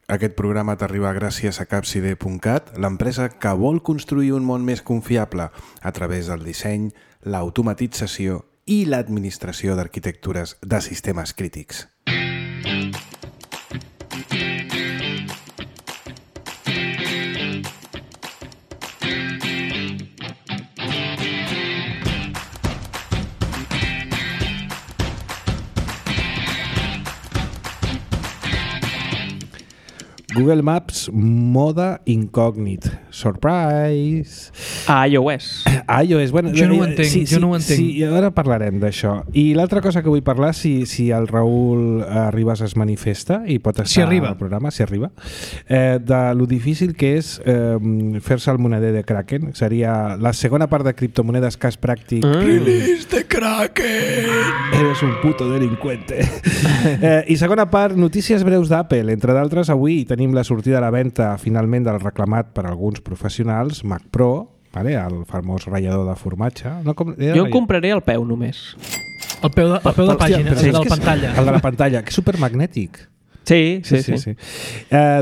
Aquest programa t'arriba gràcies a Capcide.cat, l'empresa que vol construir un món més confiable a través del disseny, l'automatització i l'administració d'arquitectures de sistemes crítics. Google Maps moda incògnit. Surprise! A iOS. Bueno, jo no ho entenc, no ho entenc. Sí, ara parlarem d'això. I l'altra cosa que vull parlar, si el Raül Ribas es manifesta i pot estar al programa, si arriba, de lo difícil que és fer-se el moneder de Kraken. Seria la segona part de criptomonedes cas pràctic. Release de Kraken! Eres un puto delincuente. I segona part, notícies breus d'Apple. Entre d'altres, avui tenim la sortida a la venda finalment del reclamat per alguns professionals Mac Pro, vale? El famós ratllador de formatge. No, jo en compraré el peu només. El peu de pàgina, el de la pantalla. El de la pantalla, que és supermagnètic. Sí.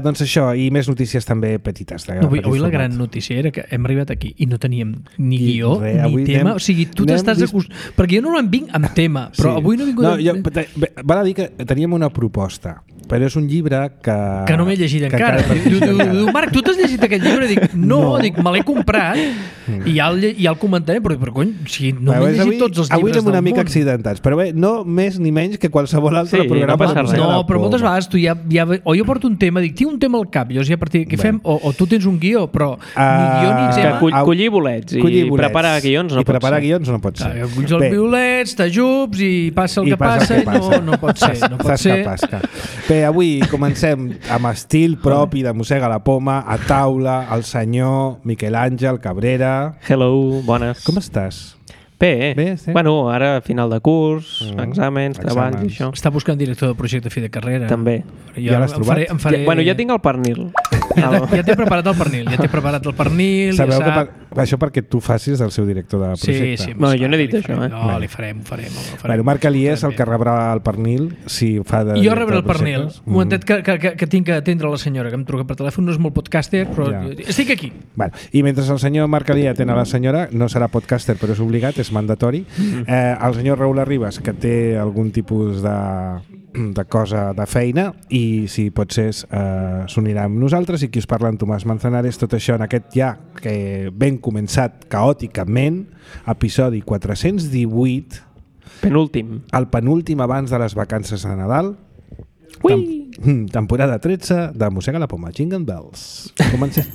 Doncs això, i més notícies també petites. Avui la gran notícia era que hem arribat aquí i no teníem ni guió ni tema. O sigui, tu t'estàs acostumant... Perquè jo normalment vinc amb tema, però avui no he vingut... Val a dir que teníem una proposta, però és un llibre que no m'he llegit encara. Diu, Marc, tu t'has llegit aquest llibre? Dic, no, me l'he comprat i ja el comentaré, però cony, no m'he llegit tots els llibres del món. Avui anem una mica accidentats, però bé, no més ni menys que qualsevol altre programa. No, però moltes vegades tu o jo porto un tema, dic, tinc un tema al cap, llavors ja a partir què fem? O tu tens un guió, però ni guió ni tema. Collir bolets i preparar guions no pot ser. I preparar guions no pot ser. Culls els bolets, t'ajups i passa el que passa i no pot ser. Bé, avui comencem amb estil propi de Mossega la Poma, a taula, el senyor Miquel Àngel Cabrera. Hello, bones. Com estàs? Bé, sí. Bueno, ara final de curs, exàmens, treballs i això. Està buscant director de projecte fi de carrera. També. Ja l'has trobat? Ja tinc el pernil. Ja t'he preparat el pernil. Sabeu que això perquè tu facis el seu director de projecte. Sí. No, jo no he dit això. No, li farem. Bueno, Marc Alier és el que rebrà el pernil si fa de... Jo rebré el pernil. Un momentet que tinc que atendre la senyora, que em truca per telèfon, no és molt podcaster, però estic aquí. I mentre el senyor Marc Alier atén a la senyora, no serà podcaster, però és obligat, és mandatori. El senyor Raül Ribas, que té algun tipus de cosa de feina, i si pot ser s'unirà amb nosaltres, i qui us parla en Tomàs Manzanares. Tot això en aquest que ben començat caòticament, episodi 418, el penúltim abans de les vacances de Nadal, temporada 13 de Mossega la Poma. Jingle Bells. Comencem.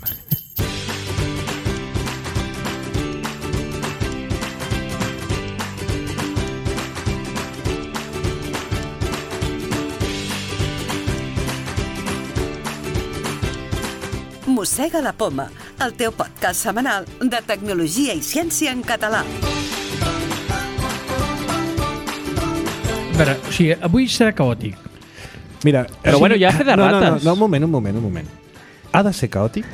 Mossega la Poma, el teu podcast setmanal de tecnologia i ciència en català. A veure, o sigui, avui serà caòtic. Mira, però bueno, ja fer de rates. No, un moment. Ha de ser caòtic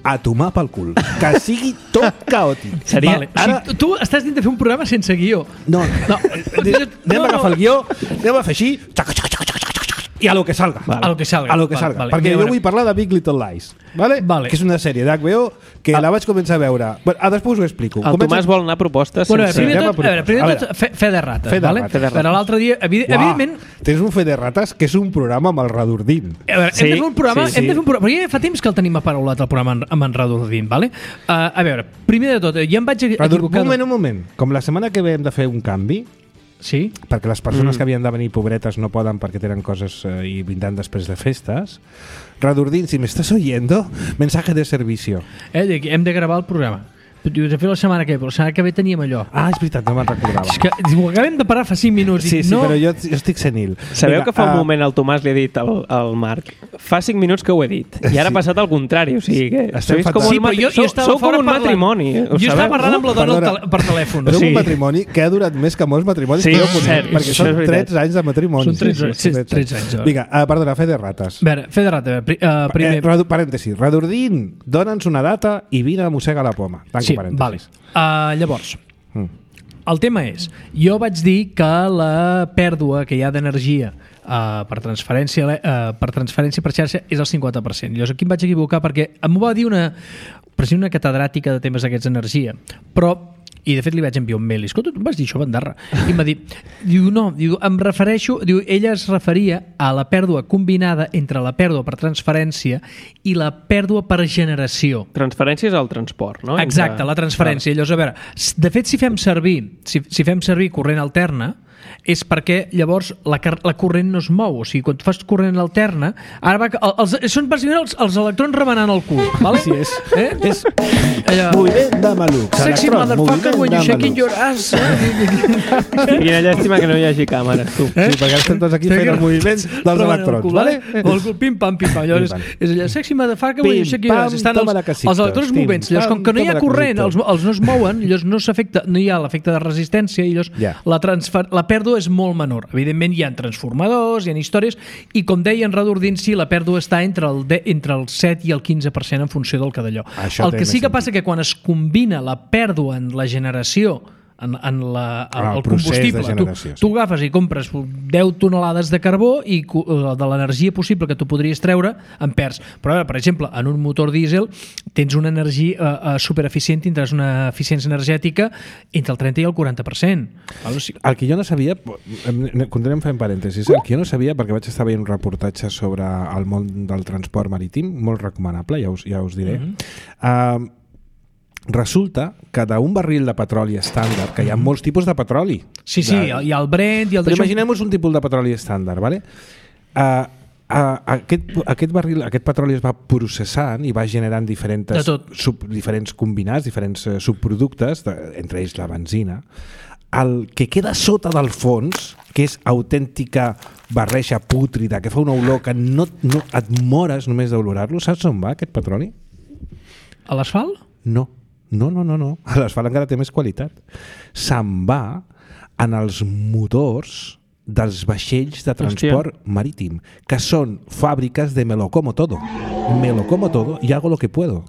a tomar pel cul. Que sigui tot caòtic. Vale. Ara... Tu estàs dient de fer un programa sense guió. No. Anem a agafar el guió, anem a fer així, i a lo que salga. A lo que salga. Vale. Perquè jo vull parlar de Big Little Lies, vale? Que és una sèrie d'HBO que la vaig començar a veure. Després us ho explico. El Tomàs vol anar a propostes. Primer de tot, fe de rates. Per l'altre dia, evidentment... Tens un fe de rates que és un programa amb el Radurdín. Hem de fer un programa, però ja fa temps que el tenim aparaulat el programa amb en Radurdín, vale? A veure, primer de tot, ja em vaig equivocar... Un moment. Com la setmana que ve hem de fer un canvi, sí? Perquè les persones que havien de venir pobretes no poden perquè tenen coses i vindran després de festes. Radurdín, si me estás oyendo, mensaje de servicio. Hem de gravar el programa. Dius, he fet la setmana que ve, però la setmana que ve teníem allò. Ah, és veritat, no me'n recordava. És que ho acabem de parar fa 5 minuts. Sí, però jo estic senil. Sabeu que fa un moment el Tomàs li ha dit al Marc, fa 5 minuts que ho he dit, i ara ha passat al contrari, o sigui que sou com un matrimoni. Jo estava parlant amb la dona per telèfon. Però un matrimoni que ha durat més que molts matrimonis que jo conec, perquè són 13 anys de matrimoni. Són 13 anys. Vinga, perdona, fe de rates. A veure, fe de rates. Parèntesi, Radurdín, dona'ns una data i vine a Mossega la Poma. Vale. Llavors, el tema és, jo vaig dir que la pèrdua que hi ha d'energia per transferència per xarxa és el 50%. Llavors aquí em vaig equivocar perquè m'ho va dir una catedràtica de temes d'aquests d'energia, però i de fet li vaig enviar un mail, escolta, tu em vas dir això, bandarra, i em va dir, em refereixo, ella es referia a la pèrdua combinada entre la pèrdua per transferència i la pèrdua per generació. Transferència és el transport, no? Exacte, la transferència. Llavors, a veure, de fet, si fem servir corrent alterna, és perquè llavors la corrent no es mou. O sigui, quan tu fas corrent alterna, ara són bàsicament els electrons remenant el cul, vale? Sí, és moviment de maluc. Sexy motherfucker when you shaking your ass. Quina llàstima que no hi hagi càmeres, tu. Sí, perquè estem tots aquí fent el moviment dels electrons, vale? El cul, pim, pam, pim, pam. Llavors, és allà, sexy motherfucker when you shaking your ass. Estan els electrons movents. Llavors, com que no hi ha corrent, els no es mouen, llavors no s'afecta, no hi ha l'efecte de resistència, i llavors la pèrdua és molt menor. Evidentment hi ha transformadors, hi ha històries, i com deia en Radurdinci, la pèrdua està entre el 7 i el 15% en funció del que d'allò. El que sí que passa que quan es combina la pèrdua en la generació en el combustible, tu agafes i compres 10 tonelades de carbó i de l'energia possible que tu podries treure en perds. Però per exemple, en un motor dièsel tens una energia supereficient, tindràs una eficiència energètica entre el 30 i el 40%. El que jo no sabia, continuem fent parèntesis, el que jo no sabia, perquè vaig estar veient un reportatge sobre el món del transport marítim, molt recomanable, ja us diré, resulta que d'un barril de petroli estàndard, que hi ha molts tipus de petroli. Sí, hi ha el Brent... Però imaginem-nos un tipus de petroli estàndard, ¿vale? Aquest petroli es va processant i va generant diferents combinats, diferents subproductes, entre ells la benzina. El que queda sota del fons, que és autèntica barreja pútrida, que fa una olor que no et mores només d'olorar-lo, saps on va aquest petroli? A l'asfalt? No. L'asfalt encara té més qualitat. Se'n va en els motors dels vaixells de transport marítim, que són fàbriques de me lo como todo y hago lo que puedo.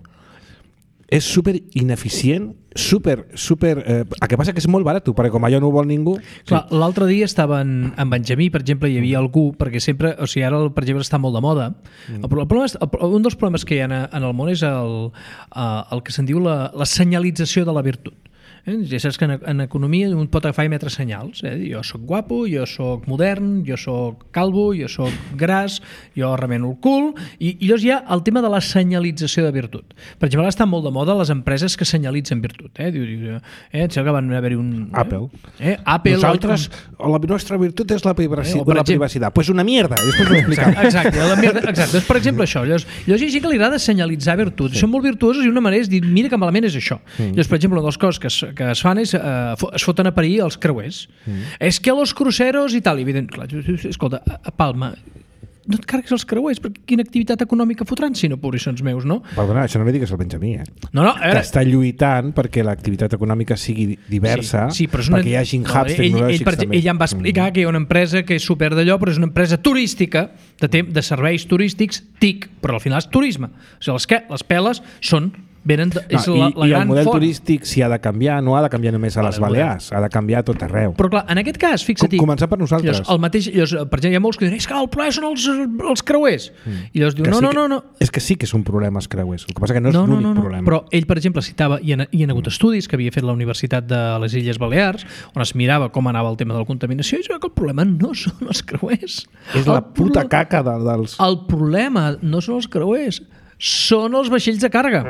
És super ineficient, super... El que passa que és molt barat, perquè com allò no ho vol ningú... Clar, l'altre dia estava en Benjamí, per exemple, hi havia algú, perquè sempre, o sigui, ara per exemple està molt de moda. Un dels problemes que hi ha en el món és el que se'n diu la senyalització de la virtut. Ja saps que en economia un pot agafar i emetre senyals. Jo soc guapo, jo soc modern, jo soc calvo, jo soc gras, jo remeno el cul, i llavors hi ha el tema de la senyalització de virtut. Per exemple, està molt de moda les empreses que senyalitzen virtut. Sembla que van haver-hi un... Apple. Nosaltres, la nostra virtut és la privacitat. Pues una mierda, després ho explicam. Exacte. Doncs, per exemple, això. Llavors hi ha gent que li agrada senyalitzar virtut. Són molt virtuosos i una manera és dir, mira que malament és això. Llavors, per exemple, una de les coses que es fan és es foten a parir els creuers. És que los cruceros i tal, evident, clar, escolta, a Palma no et carreguis els creuers, perquè quina activitat econòmica fotran si no pobríssons meus, no? Perdona, això no li digues al Benjamí, No, que està lluitant perquè l'activitat econòmica sigui diversa, perquè hi hagi hubs tecnològics també. Ell em va explicar que hi ha una empresa que és super d'allò, però és una empresa turística, de serveis turístics, TIC, però al final és turisme. O sigui, les peles són... I el model turístic si ha de canviar, no ha de canviar només a les Balears, ha de canviar a tot arreu. Però clar, en aquest cas, fixa't... Començar per nosaltres. Per exemple, hi ha molts que diuen, és que el problema són els creuers. I llavors diuen, no. És que sí que és un problema els creuers, el que passa que no és l'únic problema. Però ell, per exemple, citava, hi ha hagut estudis que havia fet la Universitat de les Illes Balears, on es mirava com anava el tema de la contaminació, i es veu que el problema no són els creuers. És la puta caca dels... El problema no són els creuers, són els vaixells de càrrega.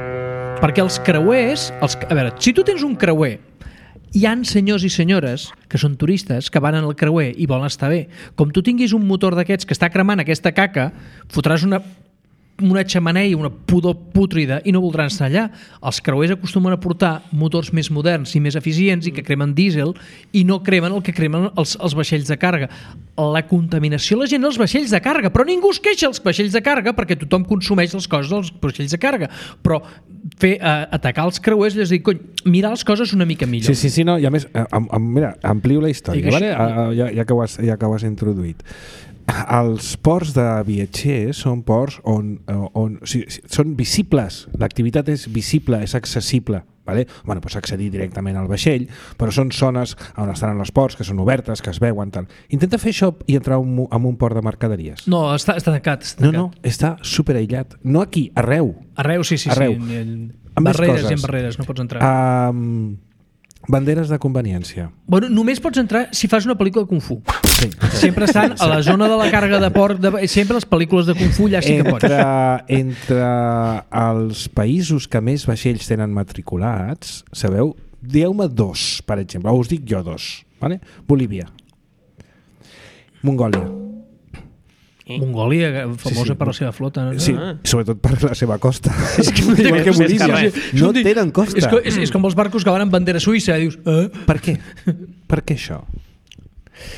Perquè els creuers... A veure, si tu tens un creuer, hi ha senyors i senyores que són turistes que van en el creuer i volen estar bé. Com tu tinguis un motor d'aquests que està cremant aquesta caca, fotràs una xemeneia, una pudor pútrida i no voldran estar allà. Els creuers acostumen a portar motors més moderns i més eficients i que cremen dièsel i no cremen el que cremen els vaixells de càrrega. La contaminació la gent els vaixells de càrrega, però ningú es queixa els vaixells de càrrega perquè tothom consumeix les coses dels vaixells de càrrega. Però atacar els creuers és dir, cony, mirar les coses una mica millor. Sí, no, i a més, mira, amplio la història, vale? Ja que ho has introduït. Els ports de viatgers són ports on són visibles, l'activitat és visible, és accessible, Vale? Bueno, pots accedir directament al vaixell, però són zones on estan els ports, que són obertes, que es veuen, tal. Intenta fer això i entrar en un port de mercaderies. No, està tancat. No, està superaïllat. No aquí, arreu. Arreu, sí. Arreu. Barreres i en barreres, no pots entrar. Banderes de conveniència. Bueno, només pots entrar si fas una pel·lícula de Kung Fu. Sí. Sempre estan a la zona de la càrrega de port, sempre les pel·lícules de Kung Fu allà sí que pots. Entre els països que més vaixells tenen matriculats, sabeu? Dieu-me 2, per exemple, o us dic jo 2. Vale? Bolívia. Mongòlia. Mongòlia, famosa per la seva flota. No? Sí, sobretot per la seva costa. Igual que Bolívia. No tenen costa. És com els barcos que van amb bandera suïssa. Dius, per què? Per què això?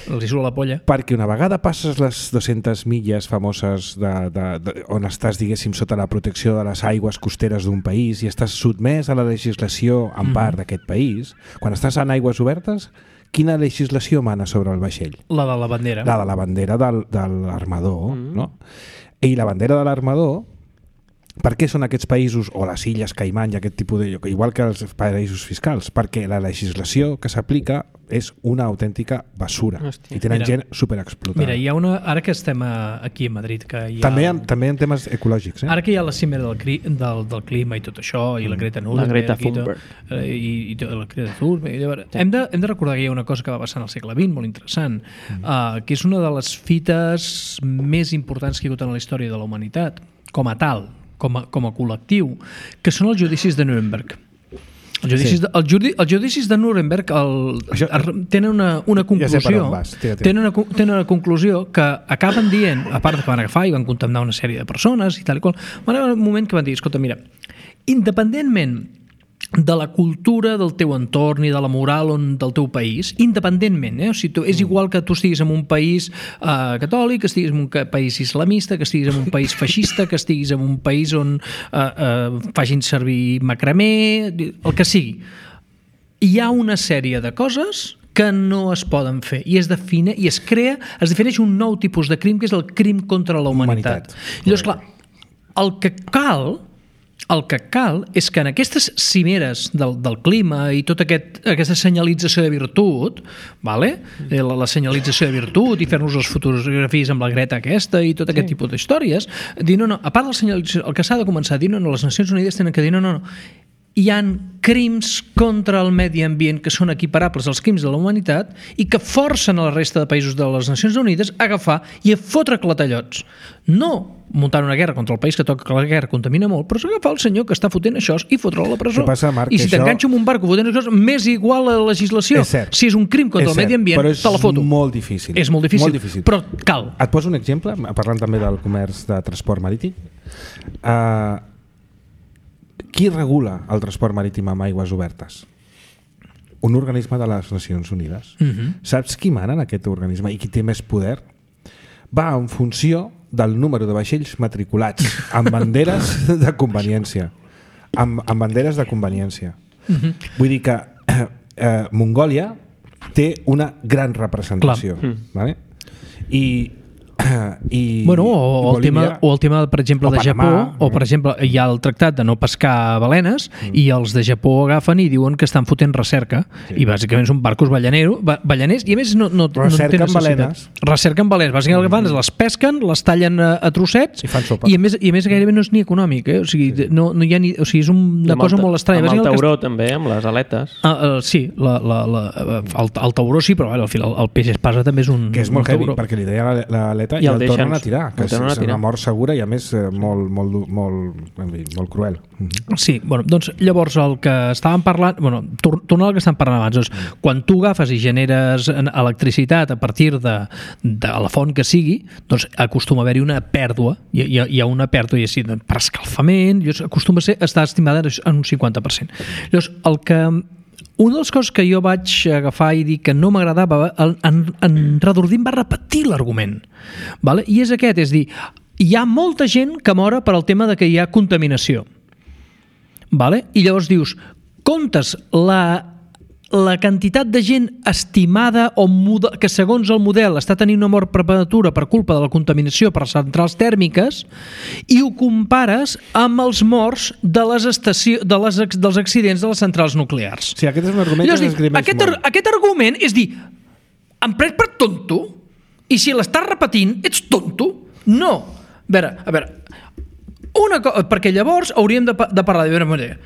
Els hi surt la polla. Perquè una vegada passes les 200 milles famoses on estàs, diguéssim, sota la protecció de les aigües costeres d'un país i estàs sotmès a la legislació en part d'aquest país, quan estàs en aigües obertes, quina legislació mana sobre el vaixell? La de la bandera. La de la bandera de l'armador, no? I la bandera de l'armador, per què són aquests països, o les illes Caimán i aquest tipus de... igual que els paraïsos fiscals? Perquè la legislació que s'aplica és una autèntica basura. Hòstia. I tenen gent superexplotada. Mira, hi ha una... Ara que estem aquí a Madrid, que hi ha... També en temes ecològics. Ara que hi ha la cimera del clima i tot això, i la Greta Thunberg... La Greta Thunberg. I la Greta Thunberg... Hem de recordar que hi ha una cosa que va passar al segle XX, molt interessant, que és una de les fites més importants que hi ha hagut en la història de la humanitat, com a tal, com a col·lectiu, que són els judicis de Nuremberg. Els judicis de Nuremberg tenen una conclusió, tenen una conclusió que acaben dient, a part que van agafar i van condemnar una sèrie de persones i tal i qual, van haver un moment que van dir, escolta, mira, independentment de la cultura del teu entorn i de la moral del teu país, independentment, o sigui, és igual que tu estiguis en un país catòlic, que estiguis en un país islamista, que estiguis en un país feixista, que estiguis en un país on facin servir macramé, el que sigui. Hi ha una sèrie de coses que no es poden fer i es defineix un nou tipus de crim, que és el crim contra la humanitat. Llavors, clar, el que cal és que en aquestes cimeres del clima i tota aquesta senyalització de virtut, la senyalització de virtut i fer-nos les fotografies amb la Greta aquesta i tot aquest tipus d'històries, dir no, a part de la senyalització, el que s'ha de començar a dir, no, les Nacions Unides tenen que dir no, hi ha crims contra el medi ambient que són equiparables als crims de la humanitat i que forcen a la resta de països de les Nacions Unides a agafar i a fotre clatellots. No muntar una guerra contra el país que toca que la guerra contamina molt, però s'agafar el senyor que està fotent això i fotre-lo a la presó. Passa, Marc, I si t'enganxo amb un barco fotent això, m'és igual a la legislació. Si és un crim contra el medi ambient, te la foto. Però és molt difícil. És molt difícil, però cal. Et poso un exemple, parlant també del comerç de transport marítim. Qui regula el transport marítim amb aigües obertes? Un organisme de les Nacions Unides. Saps qui mana en aquest organisme i qui té més poder? Va en funció del número de vaixells matriculats amb banderes de conveniència. Amb banderes de conveniència. Vull dir que Mongòlia té una gran representació. Vale? O el tema, per exemple, de Japó, o per exemple hi ha el tractat de no pescar balenes i els de Japó agafen i diuen que estan fotent recerca i bàsicament són barcos balleners i a més no recerquen balenes. Bàsicament el que fan és les pesquen, les tallen a trossets i a més gairebé no és ni econòmic, o sigui, no hi ha ni, o sigui, és una cosa molt estranya. Amb el tauró també, amb les aletes. Sí, el tauró sí, però el peix espasa també és un tauró. Que és molt heavy, perquè li deia l'aleta i el tornen a tirar, que és una mort segura i a més molt cruel. Sí, doncs llavors el que estàvem parlant, tornant al que estàvem parlant abans, doncs, quan tu agafes i generes electricitat a partir de la font que sigui, doncs acostuma a haver-hi una pèrdua, hi ha una pèrdua i així, per escalfament, acostuma a estar estimada en un 50%. Llavors, una de les coses que jo vaig agafar i dir que no m'agradava, en Redordim va repetir l'argument. I és aquest, és dir, hi ha molta gent que mora per al tema de que hi ha contaminació. I llavors dius, comptes la quantitat de gent estimada o que segons el model està tenint una mort prematura per culpa de la contaminació per centrals tèrmiques i ho compares amb els morts dels accidents de les centrals nuclears. Sí, aquest és un argument que s'esgrimeix molt. Aquest argument és dir, em prenc per tonto i si l'estàs repetint ets tonto? No. A veure, perquè llavors hauríem de parlar de manera.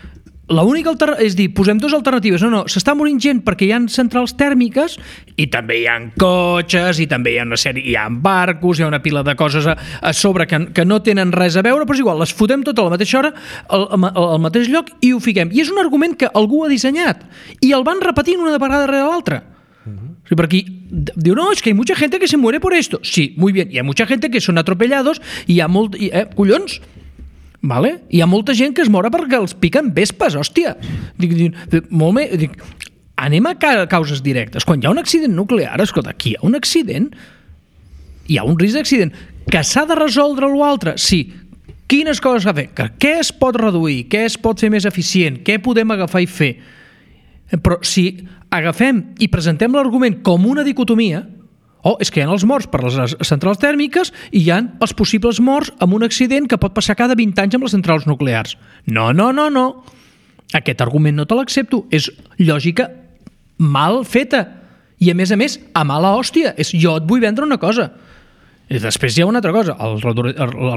L'única és dir, posem dues alternatives. No, s'està morint gent perquè hi ha centrals tèrmiques i també hi ha cotxes i també hi ha una sèrie, hi ha barcos, hi ha una pila de coses a sobre que no tenen res a veure, però és igual, les fotem tot a la mateixa hora, al mateix lloc i ho fiquem. I és un argument que algú ha dissenyat i el van repetint una vegada darrere l'altra. Sí, per aquí diu, no, es que hay mucha gente que se muere por esto. Sí, muy bien, y hay mucha gente que son atropellados i hi ha molt... collons! Vale? Hi ha molta gent que es mora perquè els piquen vespes, hòstia. Molt bé. Anem a causes directes. Quan hi ha un accident nuclear, escolta, aquí hi ha un accident, hi ha un risc d'accident. Que s'ha de resoldre l'altre? Sí. Quines coses s'ha de fer? Què es pot reduir? Què es pot fer més eficient? Què podem agafar i fer? Però si agafem i presentem l'argument com una dicotomia, és que hi ha els morts per les centrals tèrmiques i hi ha els possibles morts amb un accident que pot passar cada 20 anys amb les centrals nuclears. No. Aquest argument no te l'accepto. És lògica mal feta. I a més, a mala hòstia. Jo et vull vendre una cosa. I després hi ha una altra cosa. El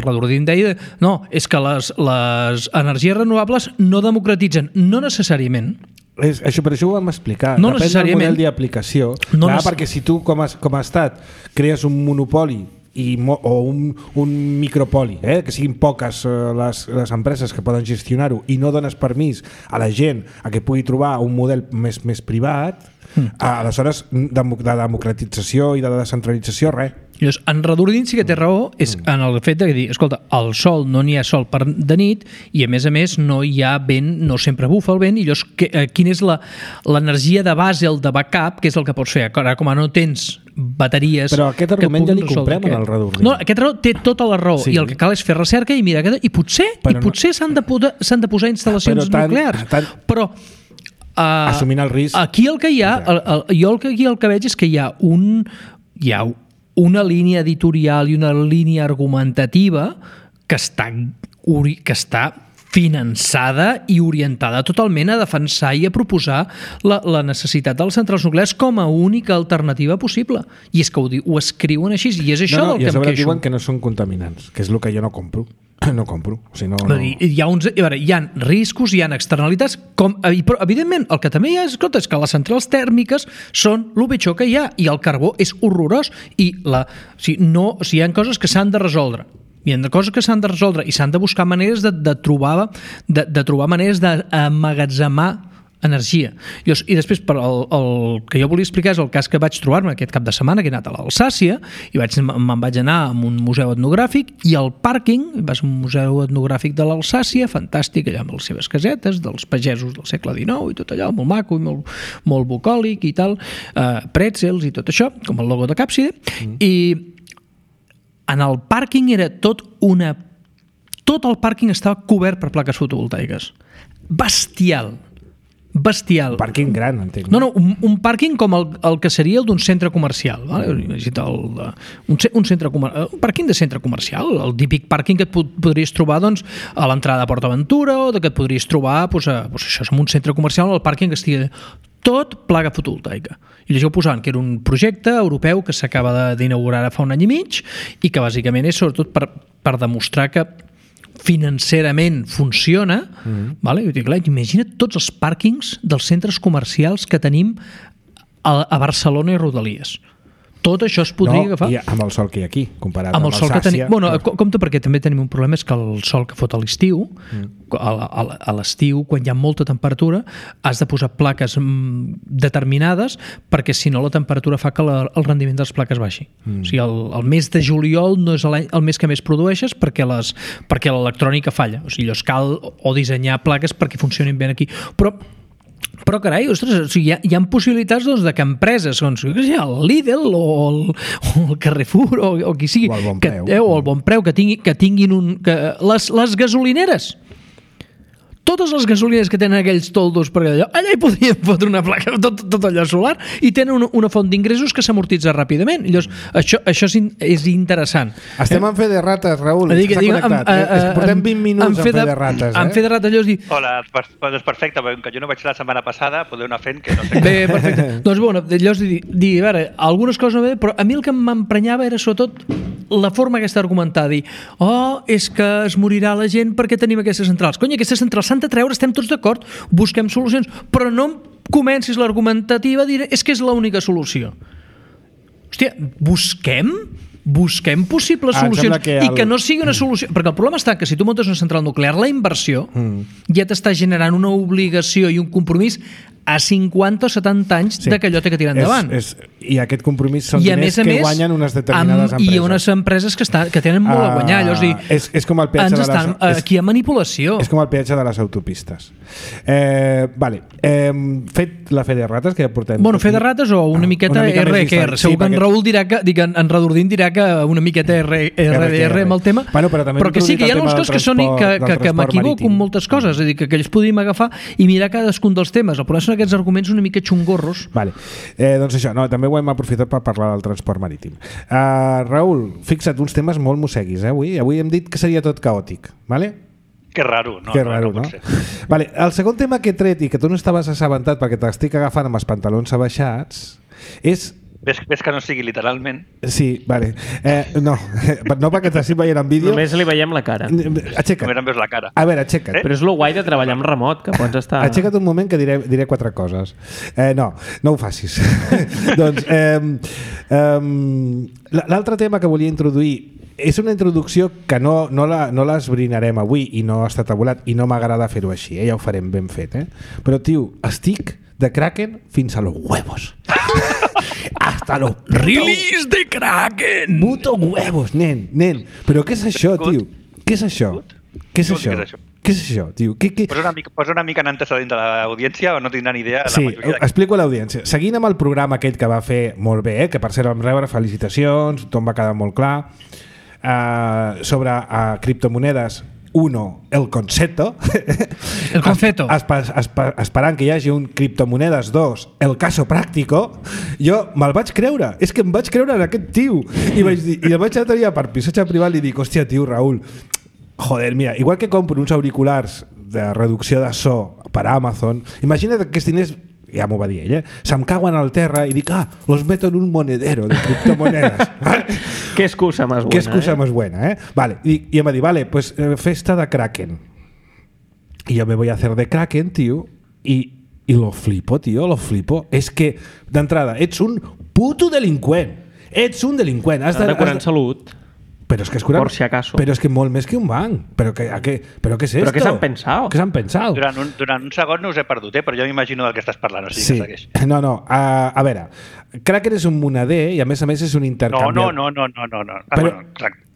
Redordín deia no, és que les energies renovables no democratitzen. No necessàriament. Per això ho vam explicar. No depèn del model d'aplicació. Perquè si tu com a estat crees un monopoli o un micropoli, que siguin poques les empreses que poden gestionar-ho i no dones permís a la gent a que pugui trobar un model més privat, aleshores de democratització i de descentralització, res. En Redordín sí que té raó és en el fet de dir, escolta, al sol no n'hi ha sol de nit i a més no hi ha vent, no sempre bufa el vent i llavors quina és l'energia de base, el de backup, que és el que pots fer ara com no tens bateries... Però aquest argument ja li comprem en el Redordín. No, aquest raó té tota la raó i el que cal és fer recerca i mirar i potser s'han de posar instal·lacions nuclears, però assumint el risc. Aquí el que hi ha, jo el que veig és que hi ha una línia editorial i una línia argumentativa que està finançada i orientada totalment a defensar i a proposar la necessitat de les centrals nuclears com a única alternativa possible. I és que ho escriuen així i és això del que em queixo. I a sobre diuen que no són contaminants, que és el que jo no compro. No compro. O sigui, no. Hi ha riscos, hi ha externalitats, però evidentment el que també hi ha és que les centrals tèrmiques són el pitjor que hi ha i el carbó és horrorós i hi ha coses que s'han de resoldre. Hi ha coses que s'han de resoldre i s'han de buscar maneres de trobar maneres d'emmagatzemar energia. I després, el que jo volia explicar és el cas que vaig trobar-me aquest cap de setmana, que he anat a l'Alsàcia i me'n vaig anar a un museu etnogràfic i al pàrquing, vas a un museu etnogràfic de l'Alsàcia, fantàstic, allà amb les seves casetes dels pagesos del segle XIX i tot allò, molt maco i molt bucòlic i tal, pretzels i tot això, com el logo de Càpside, i en el pàrquing era tot el pàrquing estava cobert per plaques fotovoltaiques. Bestial. Un pàrquing gran, entenc. No, un pàrquing com el que seria el d'un centre comercial. Un pàrquing de centre comercial, el típic pàrquing que et podries trobar a l'entrada de PortAventura o que et podries trobar això, en un centre comercial, el pàrquing que estigui tot placa fotovoltaica. I llavors posaven que era un projecte europeu que s'acaba d'inaugurar fa un any i mig i que bàsicament és sobretot per demostrar que financerament funciona, vale? Imagina't tots els pàrquings dels centres comercials que tenim a Barcelona i Rodalies. Tot això es podria agafar. I amb el sol que hi ha aquí, comparat amb el sol que tenim. Compte, perquè també tenim un problema, és que el sol que fot a l'estiu, a l'estiu, quan hi ha molta temperatura, has de posar plaques determinades, perquè si no la temperatura fa que el rendiment de les plaques baixi. O sigui, el mes de juliol no és el mes que més produeixes perquè l'electrònica falla. O sigui, llavors cal o dissenyar plaques perquè funcionin bé aquí. Però carai, ostres, hi ha possibilitats de que empreses, el Lidl o el Carrefour o qui sigui, o el Bon Preu, que tinguin les gasolineres. totes les gasolines que tenen aquells toldos per allà hi podrien fotre una placa, tot allò solar, i tenen una font d'ingressos que s'amortitza ràpidament. Llavors, això és interessant. Estem en fe de rates, Raül. Portem 20 minuts en fe de rates. En fe de rates, llavors dir... Hola, doncs perfecte, perquè jo no vaig la setmana passada, podeu anar fent que no sé... Bé, perfecte. Doncs bueno, llavors dir, a veure, algunes coses no bé, però a mi el que m'emprenyava era sobretot la forma aquesta d'argumentar, dir, és que es morirà la gent perquè tenim aquestes centrals. Cony, aquestes centrals s'han de treure, estem tots d'acord, busquem solucions, però no comencis l'argumentativa a dir és que és l'única solució. Hòstia, busquem possibles solucions i que no sigui una solució, perquè el problema està que si tu muntes una central nuclear, la inversió ja t'està generant una obligació i un compromís a 50 o 70 anys de que allò té que tirar endavant. I aquest compromís són diners que guanyen unes determinades empreses. I unes empreses que tenen molt a guanyar. És com el peatge de les... Aquí hi ha manipulació. És com el peatge de les autopistes. Fet la fe de rates, que ja portem... Bueno, fe de rates o una miqueta RQR. Segur que en Raül dirà que... En Radordín dirà que una miqueta RDR amb el tema. Però que sí, que hi ha algunes coses que m'equivoco amb moltes coses. És a dir, que ells podríem agafar i mirar cadascun dels temes. El problema són aquests arguments una mica xungorros. Doncs això, també ho hem aprofitat per parlar del transport marítim. Raül, fixa't, uns temes molt mosseguis, avui hem dit que seria tot caòtic, vale? Que raro, no? Que raro, no? Vale, el segon tema que he tret i que tu no estaves assabentat perquè t'estic agafant amb els pantalons abaixats és... Ves que no sigui literalment. Sí, vale. No perquè t'estic veient en vídeo. Només li veiem la cara. Aixeca't. Només em veus la cara. A veure, aixeca't. Però és lo guai de treballar amb remot, que pots estar... Aixeca't un moment que diré 4 coses. No ho facis. Doncs, l'altre tema que volia introduir és una introducció que no l'esbrinarem avui i no està tabulat i no m'agrada fer-ho així, ja ho farem ben fet. Però, tio, estic de Kraken fins a los huevos. Hasta los release de Kraken. Puto huevos, nen. Però què és això, tio? Què és això? Què és això, tio? Posa una mica en antecedent de l'audiència o no tindran idea? Sí, explico a l'audiència. Seguint amb el programa aquell que va fer molt bé, que per cert vam rebre felicitacions, tothom va quedar molt clar, sobre criptomonedes. 1, el concepto. El concepto. Esperant que hi hagi un criptomonedes. 2, el caso práctico. Jo me'l vaig creure. És que em vaig creure en aquest tio. I el vaig anar per missatge privat i dic, hòstia, tio, Raül, joder, mira, igual que compro uns auriculars de reducció de so per Amazon, imagina't que aquests diners, ja m'ho va dir ell, se'm cauen al terra i dic, los meto en un monedero de criptomonedes. Qué excusa más buena. Qué excusa más buena, Vale, y em va dir, vale, pues festa de Kraken. Y yo me voy a hacer de Kraken, tío, y lo flipo, tío, lo flipo. És que, d'entrada, ets un puto delinqüent. Ets un delinqüent. Has de curar en salut. Pero es que es curar, por si acaso. Pero es que molt més que un banc. Pero ¿qué es esto? ¿Pero qué s'han pensado? Què s'han pensat? Durant un segon no us he perdut, però jo m'imagino del que estàs parlant. O sigui, sí. Que segueix. No. A veure, Kraken és un moneder i a més és un intercanviador. No.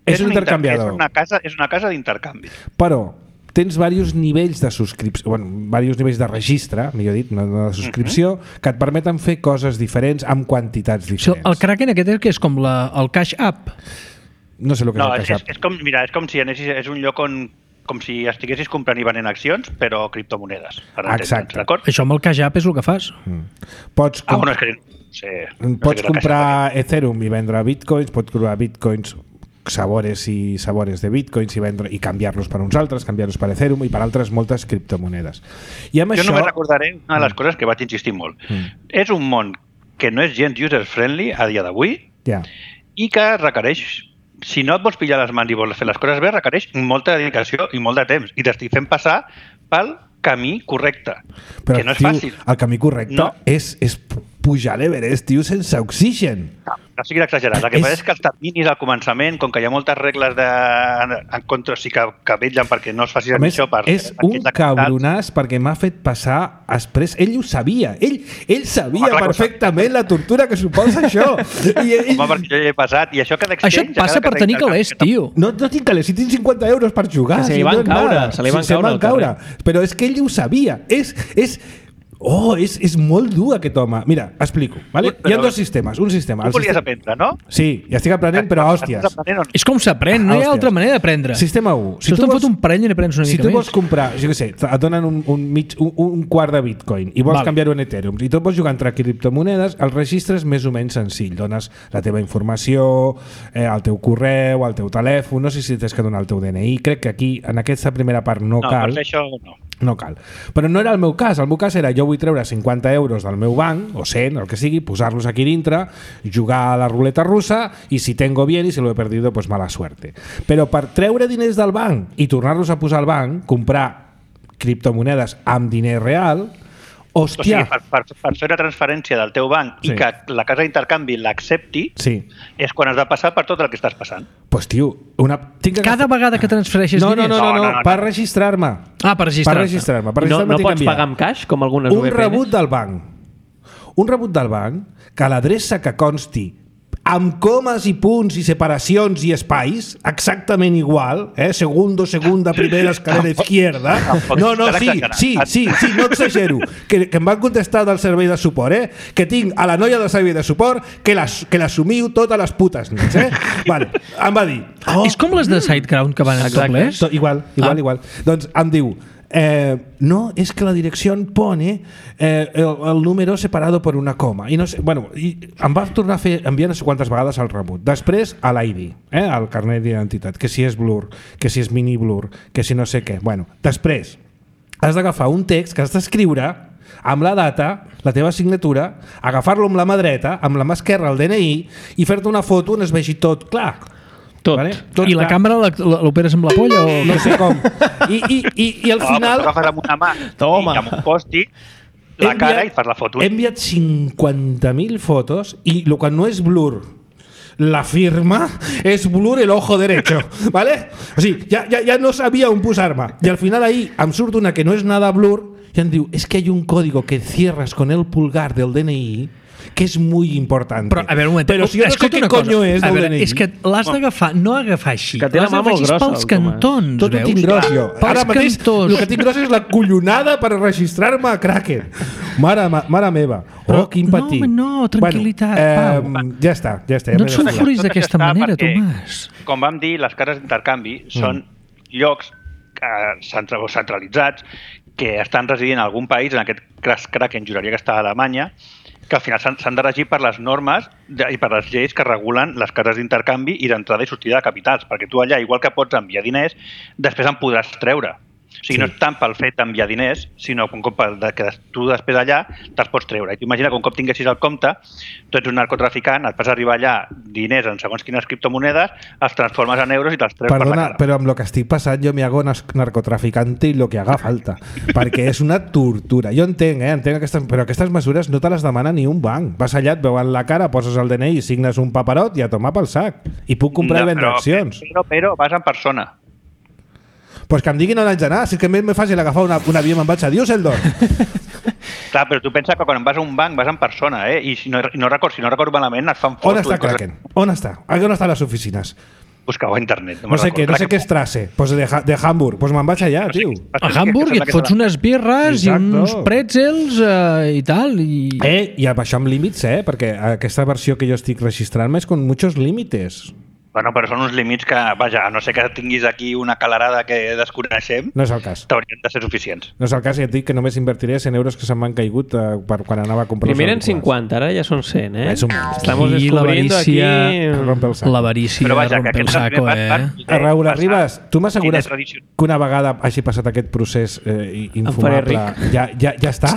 És un intercanviador. És una casa d'intercanvi. Però tens diversos nivells de subscripció, diversos nivells de registre, millor dit, no de subscripció, que et permeten fer coses diferents amb quantitats diferents. El Kraken aquest és com el Cash App. No sé el que és el Cash App. És com si anessis, és un lloc on com si estiguessis comprant i venent accions, però criptomonedes. Exacte. Això amb el Cash App és el que fas. Pots comprar Ethereum i vendre bitcoins, pots comprar bitcoins sabores i sabores de bitcoins i canviar-los per uns altres, canviar-los per Ethereum i per altres moltes criptomonedes. I amb jo això... només recordaré una de les coses que vaig insistir molt. És un món que no és gens user-friendly a dia d'avui i que requereix, si no et vols pillar les mans i vols fer les coses bé, requereix molta dedicació i molt de temps. I t'estic fent passar pel camí correcte, però, que no és fàcil. El camí correcte és pujar l'Everest, tio, sense oxigen. No siguis exagerat. El que passa és que els terminis al començament, com que hi ha moltes regles en contra, sí que vetllen perquè no es faci això. És un cabronàs perquè m'ha fet passar després. Ell ho sabia. Ell sabia perfectament la tortura que suposa això. Home, perquè jo hi he passat. I això et passa per tenir calés, tio. No tinc calés. Si tinc 50 euros per jugar. Se li van caure. Però és que ell ho sabia. És Oh, és molt dur aquest home. Mira, explico. Vale? Hi ha dos sistemes. Un sistema. Tu volies aprendre, no? Sí, ja estic aprenent, però hòsties. És com s'aprèn, no hi ha altra manera d'aprendre. Sistema 1. Si tu fot un parell i n'aprens una mica més. Si tu vols comprar, jo què sé, et donen un quart de bitcoin i vols canviar-ho en Ethereum i tu vols jugar entre criptomonedes, el registre és més o menys senzill. Dones la teva informació, el teu correu, el teu telèfon, no sé si tens que donar el teu DNI. Crec que aquí, en aquesta primera part, no cal. No, per això no. No cal. Però no era el meu cas. El meu cas era, jo vull treure 50 euros del meu banc, o 100, el que sigui, posar-los aquí dintre, jugar a la ruleta russa i si tengo bien i si lo he perdido, pues mala suerte. Però per treure diners del banc i tornar-los a posar al banc, comprar criptomonedes amb diner real, hòstia... O sigui, per fer una transferència del teu banc i que la casa d'intercanvi l'accepti, és quan has de passar per tot el que estàs passant. Pues tio, cada vegada que transfereixes diners? No, per registrar-me. Per registrar-me. No pots pagar amb caix, com algunes VPNs? Un rebut del banc, que l'adreça que consti amb comes i punts i separacions i espais, exactament igual, segunda, primera, escalera izquierda. No, sí, no exagero. Que em van contestar del servei de suport, que tinc a la noia del servei de suport que l'assumiu totes les putes nits. Vale, em va dir... És com les de SiteGround que van en doblers? Igual. Doncs em diu... no, es que la dirección pone el número separado por una coma i no sé, bueno, i em va tornar a fer enviar no sé quantes vegades el rebut, després a l'ID, al carnet d'identitat, que si és blur, que si és mini blur, que si no sé què, bueno, després has d'agafar un text que has d'escriure amb la data, la teva signatura, agafar-lo amb la mà dreta, amb la mà esquerra el DNI i fer-te una foto on es vegi tot clar. Vale? I la càmera l'operes amb la polla? O... No sé com. I al final... Agafes amb una mà i amb un post-it la cara i fas la foto. He enviat 50.000 fotos i el que no és blur la firma és blur el ojo derecho, ¿vale? O sigui, ja no sabia on posar-me. I al final ahí em surt una que no és nada blur i em diu, es que hay un código que cierras con el pulgar del DNI que és molt important. Però, a veure, un moment, però si jo no sé què conyo és del DNI. És que l'has d'agafar, no agafar així. Que té la mà molt grossa. Pels cantons, tot ho tinc gros jo. Ara mateix el que tinc gros és la collonada per registrar-me a Kraken. Mare meva. Oh, quin patí. No, tranquil·litat, Pau. Ja està. No et sulfuris d'aquesta manera, Tomàs. Com vam dir, les cases d'intercanvi són llocs centralitzats que estan residint en algun país, en aquest cas Kraken juraria que està a Alemanya, que al final s'han de regir per les normes i per les lleis que regulen les cases d'intercanvi i d'entrada i sortida de capitals, perquè tu allà, igual que pots enviar diners, després en podràs treure. O sigui, no és tant pel fet d'enviar diners, sinó que tu després allà te'ls pots treure. I t'imagina que un cop tinguessis el compte, tu ets un narcotraficant, et vas arribar allà diners en segons quines criptomonedes, els transformes en euros i te'ls treus per la cara. Però amb el que estic passant jo me hago narcotraficante i lo que haga falta, perquè és una tortura. Jo entenc però aquestes mesures no te les demana ni un banc. Vas allà, et veuen la cara, poses el DNI, signes un paperot i a tomar pel sac. I puc comprar i vendre accions. Però vas en persona. Pues que em diguin on haig d'anar, si és que és més fàcil agafar un avió i me'n vaig a Düsseldorf. Clar, però tu pensa que quan vas a un banc vas en persona, i si no recordo malament et fan fotos. On està Kraken? On està? On estan les oficines? Busca-ho a internet. No sé què és Strasse, pues de Hamburg, pues me'n vaig allà, tio. A Hamburg i et fots unes birres i uns pretzels i tal. I amb això amb límits, perquè aquesta versió que jo estic registrant-me és con muchos límites. Bueno, però són uns límits que, vaja, a no ser que tinguis aquí una calarada que desconeixem, no és el cas. T'haurien de ser suficients. No és el cas, i et dic que només invertiré 100 euros que se'm van caigut per quan anava a comprar. Primer eren 50, ara ja són 100, És un menys. Estamos descubriendo aquí... L'avarícia rompe el saco, Raúl Arribas, tu m'assegures que una vegada hagi passat aquest procés infumable ja està?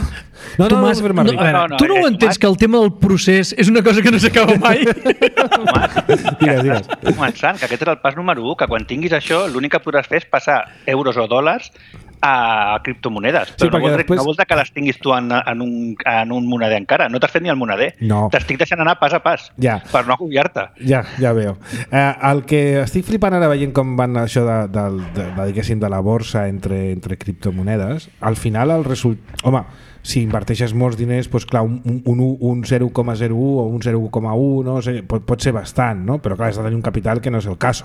No, Tomàs, tu no ho entens que el tema del procés és una cosa que no s'acaba mai? Digues. Començant, que aquest és el pas número 1, que quan tinguis això l'únic que podràs fer és passar euros o dòlars a criptomonedes. Però no vol dir que les tinguis tu en un moneder encara. No t'has fet ni el moneder. No. T'estic deixant anar pas a pas per no agobiar-te. Ja veo. El que estic flipant ara veient com van això de la borsa entre criptomonedes, al final el resultat... Home, si inverteixes molts diners, doncs clar, un 0,01 o un 0,1 no sé, pot ser bastant, no? Però clar, has de tenir un capital que no és el cas.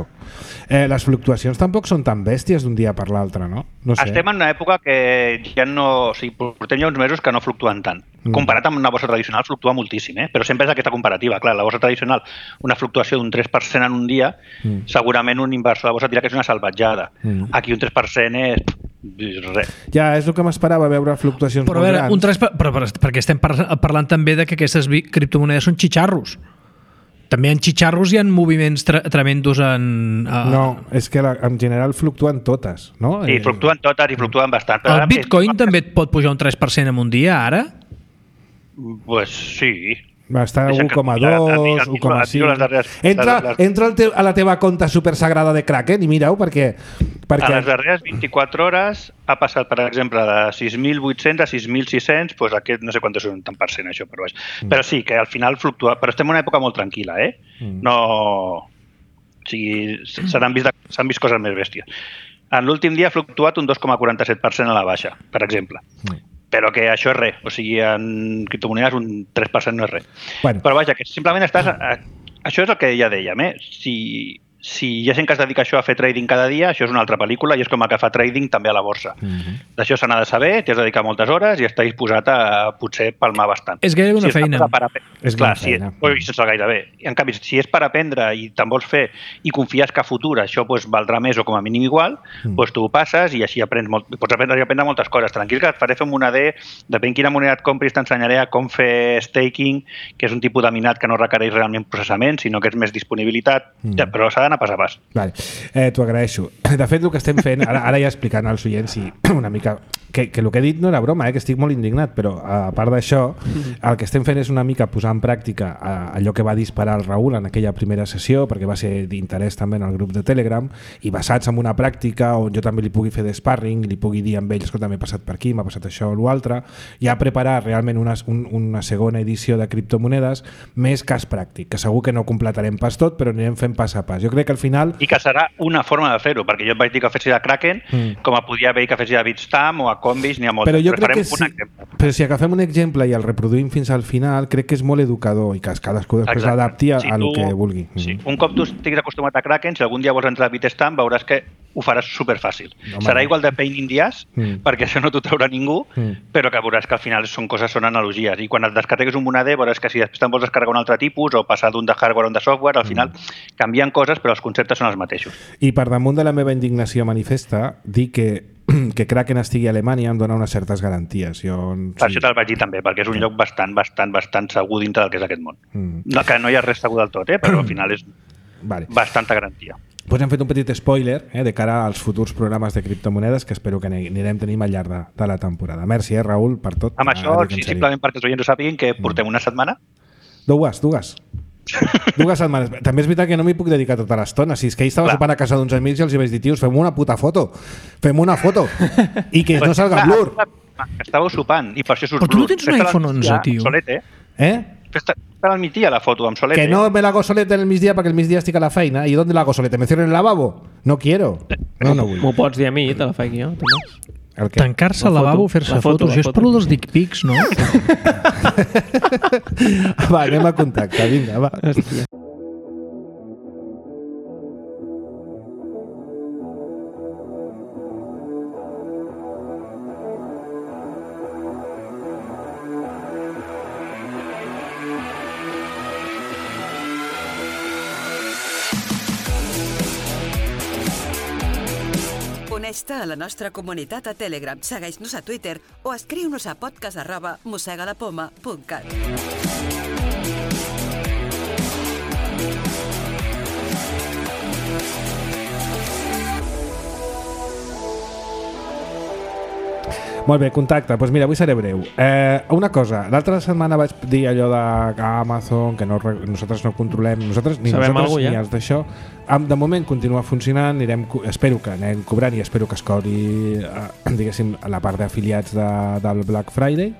Les fluctuacions tampoc són tan bèsties d'un dia per l'altre, no? No sé. estem en una època que ja no... O sigui, portem ja uns mesos que no fluctuen tant. Comparat amb una borsa tradicional, fluctua moltíssim, però sempre és aquesta comparativa. Clar, la borsa tradicional, una fluctuació d'un 3% en un dia, segurament un inversor de borsa dirà que és una salvatjada. Aquí un 3% és res. Ja, és el que m'esperava, veure fluctuacions molt grans. Però perquè estem parlant també de que aquestes criptomonedes són xitxarros. També en xitxarros hi ha moviments tremendos en... No, és que en general fluctuen totes, no? Sí, fluctuen totes i fluctuen bastant. El Bitcoin també et pot pujar un 3% en un dia, ara? Pues sí. Va estar a 1,2, 1,5... Entra a la teva compta supersagrada de Kraken i mira-ho, perquè... A les darreres 24 hores ha passat, per exemple, de 6.800 a 6.600, doncs aquest no sé quant és un tant per cent, això per baix. Però sí, que al final fluctua. Però estem en una època molt tranquil·la, No... O sigui, s'han vist coses més bèsties. En l'últim dia ha fluctuat un 2,47% a la baixa, per exemple. Però que això és res. O sigui, en criptomonedes un 3% no és res. Bueno. Però vaja, que simplement estàs... Això és el que ja dèiem, Si hi ha gent que es dedica a això a fer trading cada dia, això és una altra pel·lícula i és com el que fa trading també a la borsa. D'això se n'ha de saber, t'hi has de dedicar moltes hores i estàs disposat a potser palmar bastant. És gairebé una feina. És una feina. Sense gairebé. En canvi, si és per aprendre i te'n vols fer i confies que a futur això valdrà més o com a mínim igual, doncs tu ho passes i així pots aprendre moltes coses. Tranquil, que et faré fer una D, depèn quina moneda et compris, t'ensenyaré a com fer staking, que és un tipus de minat que no requereix realment processament, sinó que és més disponibilitat, però s'ha d'anar pas a pas. Vale. T'ho agraeixo. De fet, el que estem fent, ara ja explicant als oients una mica que el que he dit no era broma, que estic molt indignat, però a part d'això, el que estem fent és una mica posar en pràctica allò que va disparar el Raül en aquella primera sessió, perquè va ser d'interès també en el grup de Telegram, i basats en una pràctica on jo també li pugui fer d'sparring, li pugui dir amb ells que també he passat per aquí, m'ha passat això o l'altre, ja preparar realment una segona edició de criptomonedes més cas pràctic, que segur que no completarem pas tot, però anirem fent pas a pas. Jo crec que al final... I que serà una forma de fer-ho, perquè jo et vaig dir que fessis a Kraken, com a podia haver que fessis a Bitstamp o a Coinbase, n'hi ha moltes. Però jo crec que però si agafem un exemple i el reproduïm fins al final, crec que és molt educador i que cadascú després l'adapti a el que vulgui. Sí. Un cop tu estiguis acostumat a Kraken, si algun dia vols entrar a Bitstamp, veuràs que ho faràs superfàcil. Serà igual de pain in the ass, perquè això no t'ho traurà ningú, però que veuràs que al final són analogies. I quan et descarregues un moneder, veuràs que si després te'n vols descarregar un altre tipus o passar d'un de hardware a un de software, al final canvien coses, però els conceptes són els mateixos. I per damunt de la meva indignació manifesta, dir que Kraken estigui a Alemanya em dona unes certes garanties. Per això te'l vaig dir també, perquè és un lloc bastant segur dintre del que és aquest món. No, que no hi ha res segur del tot, però al final és bastanta garantia. Doncs hem fet un petit spoiler de cara als futurs programes de criptomonedes que espero que anirem tenint al llarg de la temporada. Merci, Raül, per tot. Amb això, simplement perquè els oients ho sàpiguen, que portem una setmana. Dues setmanes. També és veritat que no m'hi puc dedicar tota l'estona. Si és que ahir estava sopant a casa d'uns amics i els vaig dir, tios, fem una puta foto. I que no salga blur. Estàveu sopant i per això surt blur. Però tu no tens un iPhone 11, tio. Solete, Fes-te al migdia la foto amb solete. Que no me la hago solete en el migdia perquè el migdia estic a la feina. I ¿dónde la hago solete? ¿Me cierro en el lavabo? No quiero. No vull. M'ho pots dir a mi, te la faig jo, Tomàs. Tancar-se al lavabo, fer-se fotos. Això és per dels dick pics, no? Va, anem a contacte. Vinga, va. Hòstia. Uneix-te a la nostra comunitat a Telegram, segueix-nos a Twitter o escriu-nos a podcast@mossegalapoma.cat. Molt bé, contacte. Doncs mira, avui seré breu. Una cosa, l'altra setmana vaig dir allò de Amazon, que nosaltres no controlem, ni nosaltres ni els d'això. De moment continua funcionant, espero que anem cobrant i espero que es cobri diguéssim, la part d'afiliats del Black Friday.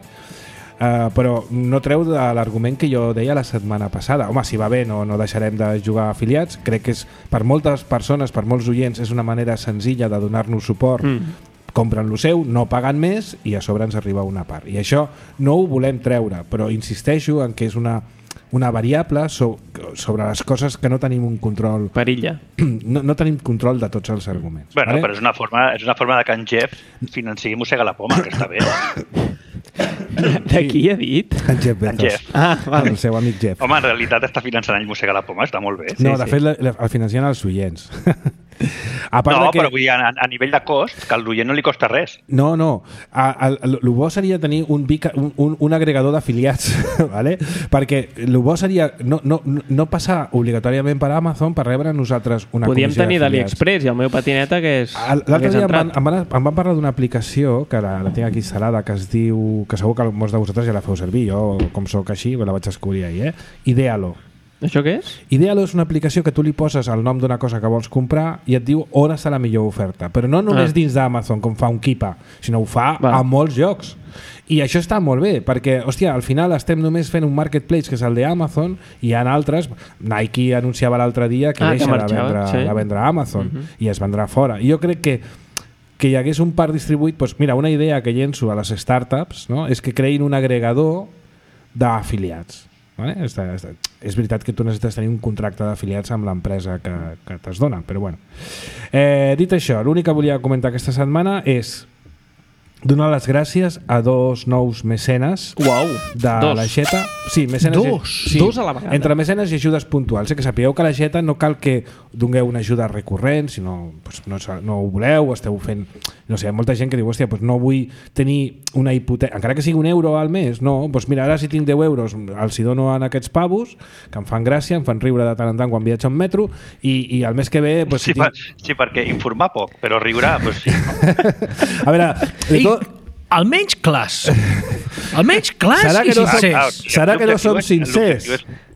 Però no treu de l'argument que jo deia la setmana passada. Home, si va bé no deixarem de jugar a afiliats. Crec que és, per moltes persones, per molts oients, és una manera senzilla de donar-nos suport. Compren lo seu, no paguen més i a sobre ens arriba una part. I això no ho volem treure, però insisteixo en que és una una variable sobre les coses que no tenim un control. Perilla. No tenim control de tots els arguments. Bueno, vale? Però és una forma de que en Jeff financiï Mossega la Poma, que està bé. De qui ha dit? En Jeff Bezos. En Jeff. Vale. El seu amic Jeff. Home, en realitat està finançant ell Mossega la Poma, està molt bé. No, de fet, el financien els oients. Però vull dir, a nivell de cost, que al l'oient no li costa res. No. El bo seria tenir un agregador d'afiliats, ¿vale? Perquè el bo seria no passar obligatòriament per Amazon per rebre nosaltres una Podíem comissió tenir d'afiliats. d'AliExpress i el meu patineta que és... L'altre dia em van parlar d'una aplicació que la tinc aquí instal·lada, que es diu, que segur que molts de vosaltres ja la feu servir, jo com soc així la vaig descobrir ahir, Idealo. Això què és? Idealo és una aplicació que tu li poses el nom d'una cosa que vols comprar i et diu on està la millor oferta, però no només dins d'Amazon com fa un Kipa, sinó ho fa a molts llocs. I això està molt bé, perquè, hòstia, al final estem només fent un marketplace que és el d'Amazon i hi ha altres. Nike anunciava l'altre dia que deixa de vendre a Amazon i es vendrà fora. I jo crec que hi hagués un parc distribuït, doncs mira, una idea que llenço a les startups, no? És que creïn un agregador d'afiliats. Vale? És veritat que tu necessites tenir un contracte d'afiliats amb l'empresa que t'es dona, però bueno. Dit això, l'únic que volia comentar aquesta setmana és donar les gràcies a 2 nous mecenes de l'Aixeta. Sí, mecenes. Dos a la vegada. Entre mecenes i ajudes puntuals. Que sapigueu que a l'Aixeta no cal que dongueu una ajuda recurrent, sinó no ho voleu, esteu fent... No sé, hi ha molta gent que diu, hòstia, no vull tenir una hipoteca, encara que sigui €1 al mes, no, doncs mira, ara si tinc €10 els hi dono a aquests pavos, que em fan gràcia, em fan riure de tant en tant quan viatjo en metro, i el mes que ve... Sí, perquè informar poc, però riurà, doncs sí. A veure... Almenys clars. Almenys clars i sincers. Serà que no som sincers?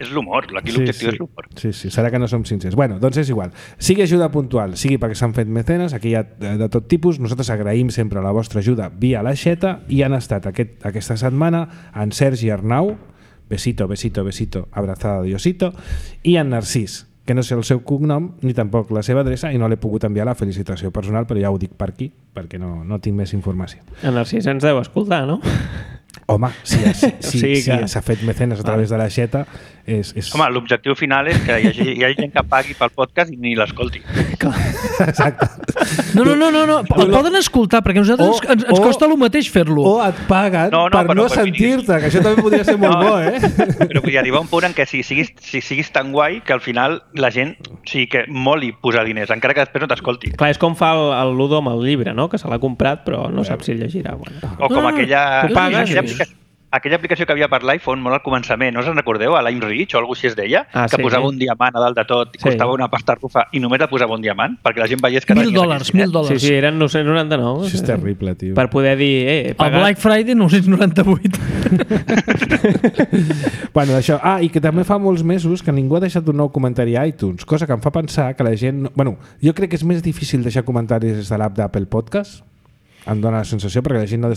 És l'humor, aquí l'objectiu és l'humor. Sí, serà que no som sincers. Bueno, doncs és igual. Sigui ajuda puntual, sigui perquè s'han fet mecenes, aquí hi ha de tot tipus. Nosaltres agraïm sempre la vostra ajuda via l'Aixeta i han estat aquesta setmana en Sergi Arnau, besito, abrazada de Diosito, i en Narcís, que no sé el seu cognom ni tampoc la seva adreça i no l'he pogut enviar la felicitació personal, però ja ho dic per aquí perquè no tinc més informació. En Narcís ens deu escoltar, no? Home, si s'ha fet mecenes a través de l'Aixeta és... Home, l'objectiu final és que hi hagi gent que pagui pel podcast i ni l'escolti. Exacte. No, el poden escoltar perquè a nosaltres ens costa el mateix fer-lo. O et paguen per no sentir-te, que això també podria ser molt bo, Però vull arribar a un punt en què si siguis tan guai que al final la gent que moli posar diners, encara que després no t'escolti. Clar, és com fa el Ludo amb el llibre, no? Que se l'ha comprat però no sap si el llegirà. O com aquella aplicació que havia per l'iPhone molt al començament, no us en recordeu? A l'Aimreach o alguna cosa així es deia, que posava un diamant a dalt de tot, costava una pasta rufa i només la posava un diamant, perquè la gent veiés que... $1.000. Sí, eren 999. Això és terrible, tio. Per poder dir, he pagat... El Black Friday 998. Bueno, això. I que també fa molts mesos que ningú ha deixat un nou comentari a iTunes, cosa que em fa pensar que la gent... Bueno, jo crec que és més difícil deixar comentaris des de l'app d'Apple Podcast. Em dóna la sensació perquè la gent no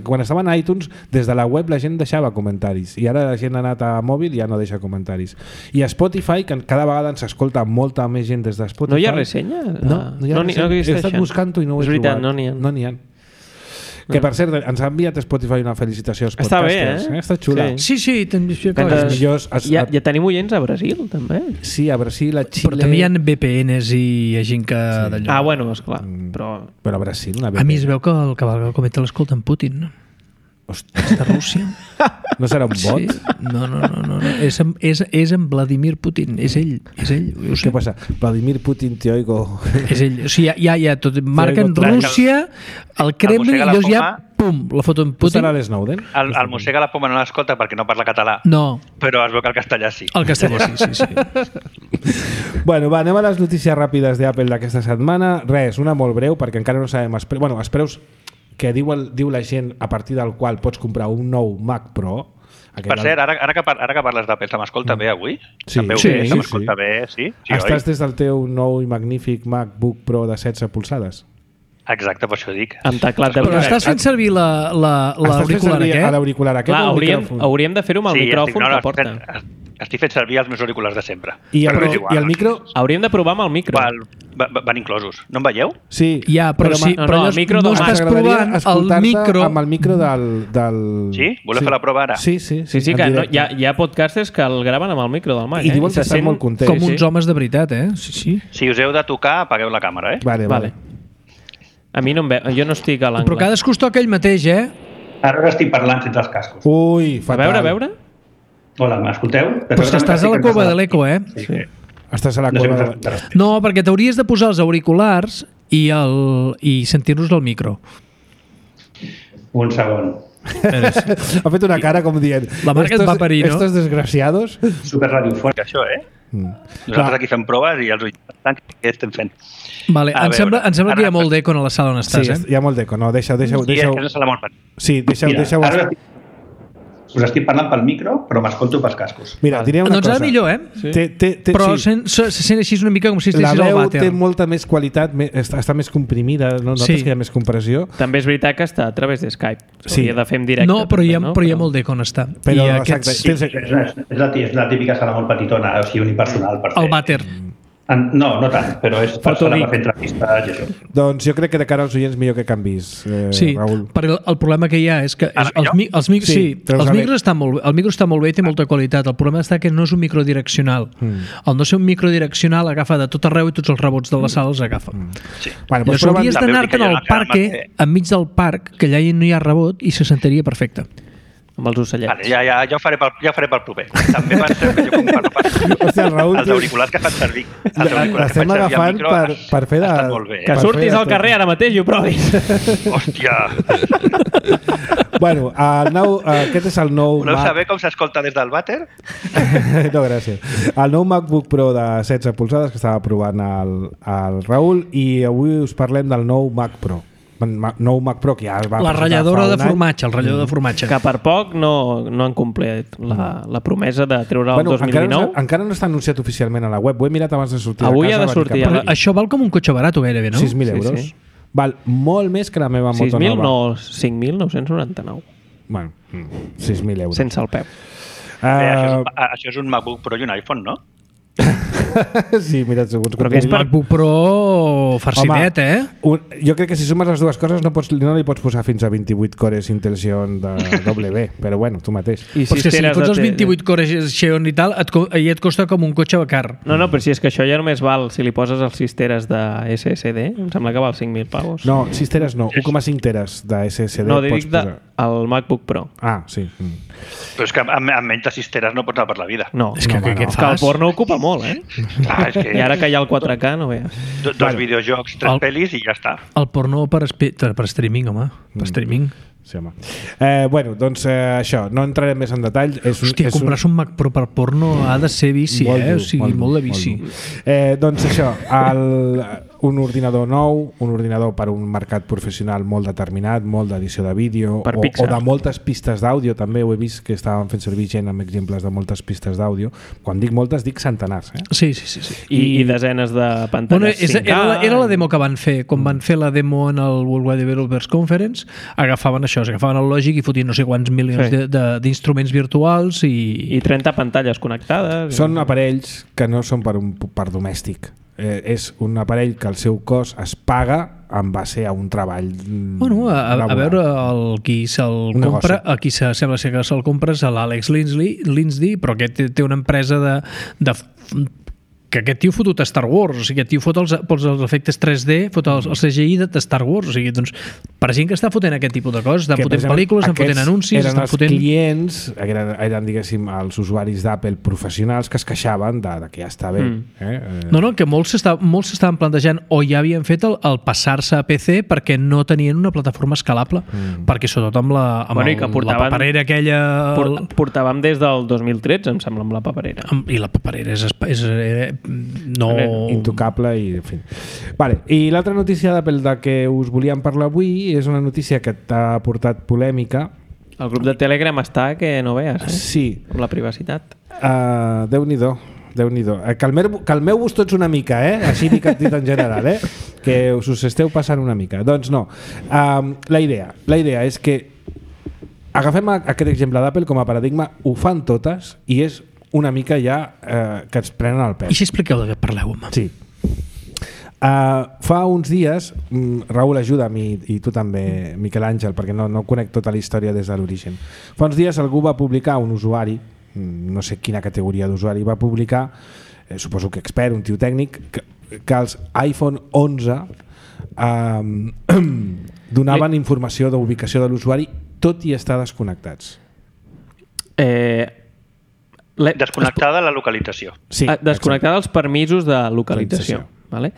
quan estaven a iTunes, des de la web la gent deixava comentaris i ara la gent ha anat a mòbil i ja no deixa comentaris. I a Spotify, que cada vegada ens escolta molta més gent des de Spotify. No hi ha ressenya? No hi ha ressenya. He estat buscant-ho i no ho he trobat. És veritat, no n'hi ha. Que per cert, ens ha enviat Spotify una felicitació als Està podcasters. bé, Està xula. Sí, també ja tenim oients a Brasil, també. Sí, a Brasil, a Xile... Però també hi ha VPNs i hi ha gent que... Ah, bueno, esclar. Però a Brasil, una VPN. A mi es veu que el Cavalca Cometa l'escolta en Putin. És de Rússia. No serà un bot? Sí. No. És en Vladimir Putin. És ell. Què passa? Vladimir Putin, te oigo. És ell. O sigui, ja tot. Marquen Rússia, el Kremlin, i llavors ja, pum, la foto en Putin. Serà l'Snowden? El Mossega la Poma no l'escolta perquè no parla català. No. Però es veu que el castellà sí. El castellà sí. Bueno, anem a les notícies ràpides d'Apple d'aquesta setmana. Res, una molt breu, perquè encara no sabem els preus que diu la gent a partir del qual pots comprar un nou Mac Pro. Per cert, ara que parles d'Apple, se m'escolta bé avui? Sí. Se m'escolta bé, sí? Estàs des del teu nou i magnífic MacBook Pro de 16 polzades? Exacte, per això dic. Amb teclat de... Però estàs fent servir l'auricular aquest? L'auricular aquest o el micròfon? Hauríem de fer-ho amb el micròfon que porta. Estic fent servir els meus auriculars de sempre. I el micro? Hauríem de provar amb el micro. van inclosos. No em veieu? Sí. Ja, però sí, però el micro no estàs provant el micro... amb el micro del... Sí? Voleu fer la prova ara? Sí, que hi ha podcasters que el graven amb el micro del Mac. I diuen que estan molt contents. Com uns homes de veritat, Sí. Si us heu de tocar, apagueu la càmera, Vale. A mi no em veu, jo no estic a l'angle. Però cadascú es toca ell mateix, Ara estic parlant sense els cascos. Ui, fatal. A veure? Hola, m'escolteu? Però és que estàs a la cova de l'eco, Sí. Estàs a la cova de... No, perquè t'hauries de posar els auriculars i sentir-nos del micro. Un segon. Ha fet una cara com dient... La Marc et va parir, no? Estos desgraciados. Super radiofònic, això, Nosaltres aquí fem proves i els oients què estem fent. Vale, em sembla que hi ha molt d'eco a la sala on estàs, Sí, hi ha molt d'eco. No, deixeu... Sí, és que és una sala molt petita. Sí, deixeu... Us estic parlant pel micro, però m'escolto pels cascos. Mira, diré una cosa. Doncs ara millor, Sí. Però se sent així una mica com si estiguessis al vàter. La veu té molta més qualitat, està més comprimida, no notes que hi ha més compressió? També és veritat que està a través de Skype. S'hauria de fer en directe. No, però hi ha molt d'eco on està. Però exacte. És la típica sala molt petitona, o sigui, unipersonal. El vàter. No tant, però és per fer entrevistes i això. Doncs jo crec que de cara als oients millor que canvis, Raül. Perquè el problema que hi ha és que els micros estan molt bé, el micro està molt bé i té molta qualitat. El problema està que no és un microdireccional. Al no ser un microdireccional agafa de tot arreu i tots els rebots de la sala els agafa. Llavors hauries d'anar-te'n al parc, enmig del parc, que allà no hi ha rebot i se sentiria perfecte. Amb els ocellets. Vale, ja ho faré pel proper. També penseu que jo comparo Hòstia, el Raül, els auriculars que fan servir. L'estem agafant per fer de... Estan molt bé. Que surtis al carrer ara mateix i ho provis. Hòstia! Bueno, aquest és el nou... Voleu saber com s'escolta des del vàter? No, gràcies. El nou MacBook Pro de 16 polzades que estava provant el Raül i avui us parlem del nou Mac Pro. Nou Mac Pro que ja es va... La ratlladora de formatge, el ratllador de formatge. Que per poc no han complert la promesa de treure el 2019. Encara no està anunciat oficialment a la web. Ho he mirat abans de sortir Avui de casa. Ha de sortir. Però això val com un cotxe barat gairebé, no? 6.000 euros. Sí. Val molt més que la meva moto 6.000 nova. no, 5.999. Bueno, 6.000 euros. Sense el peu. Això és un MacBook Pro i un iPhone, no? Sí, mira, segons... Però que és MacBook Pro farcidet, Jo crec que si sumes les dues coses no li pots posar fins a 28 cores Intel Xeon de W, però bueno, tu mateix. I si fots els 28 cores Xeon i tal, et costa com un cotxe car. No, però si és que això ja només val si li poses els 6 teres de SSD, em sembla que val 5.000 pavos. No, 6 teres no, 1,5 teres de SSD no, dic el MacBook Pro. Ah, sí. Però és que amb menys de 6 teres no pots anar per la vida. No, és que el porno ocupa molt, I ara que hi ha el 4K, no veus. Dos videojocs, 3 pel·lis i ja està. El porno per streaming, home. Per streaming. Sí, home. Bueno, doncs això, no entrarem més en detall. Comprar-se un Mac Pro per porno ha de ser vici, o sigui, molt de vici. Doncs això, un ordinador nou, un ordinador per un mercat professional molt determinat, molt d'edició de vídeo o de moltes pistes d'àudio, també ho he vist que estaven fent servir gent amb exemples de moltes pistes d'àudio. Quan dic moltes, dic centenars. Sí. I desenes de pantalles 5K. Era la demo que van fer. Quan van fer la demo en el Worldwide Developers Conference, agafaven el Logic i fotien no sé quants milions d'instruments virtuals i 30 pantalles connectades. Són aparells que no són per domèstic. És un aparell que el seu cost es paga en base a un treball a veure qui se'l compra, a qui sembla ser que se'l compra és l'Àlex Lindsay, però que té una empresa de que aquest tio fotut a Star Wars, o sigui, aquest tio fot els efectes 3D, fot el CGI de Star Wars, o sigui, doncs, per gent que està fotent aquest tipus de coses, estan fotent pel·lícules, estan fotent anuncis, eren els clients, eren, diguéssim, els usuaris d'Apple professionals que es queixaven de que ja està bé. No, que molts s'estaven plantejant o ja havien fet el passar-se a PC perquè no tenien una plataforma escalable, perquè sobretot amb la paperera aquella... Portàvem des del 2013, em sembla, amb la paperera. I la paperera és intocable i en fi. Vale, i l'altra notícia d'Apple de que us volíem parlar avui és una notícia que t'ha portat polèmica. El grup de Telegram està que no veus, Sí. Amb la privacitat. Déu-n'hi-do. Calmeu-vos tots una mica, així dit en general, que us esteu passant una mica. Doncs no. La idea és que agafem aquest exemple d'Apple com a paradigma, ho fan totes i és una mica ja que ens prenen el pèl. I si expliqueu de què parleu, home? Sí. Fa uns dies, Raül, ajuda'm, i tu també, Miquel Àngel, perquè no conec tota la història des de l'origen. Fa uns dies algú va publicar, un usuari, no sé quina categoria d'usuari, va publicar, suposo que expert, un tio tècnic, que els iPhone 11 donaven informació d'ubicació de l'usuari tot i estar desconnectats. Desconnectada la localització. Sí, desconnectada els permisos de localització. Vale?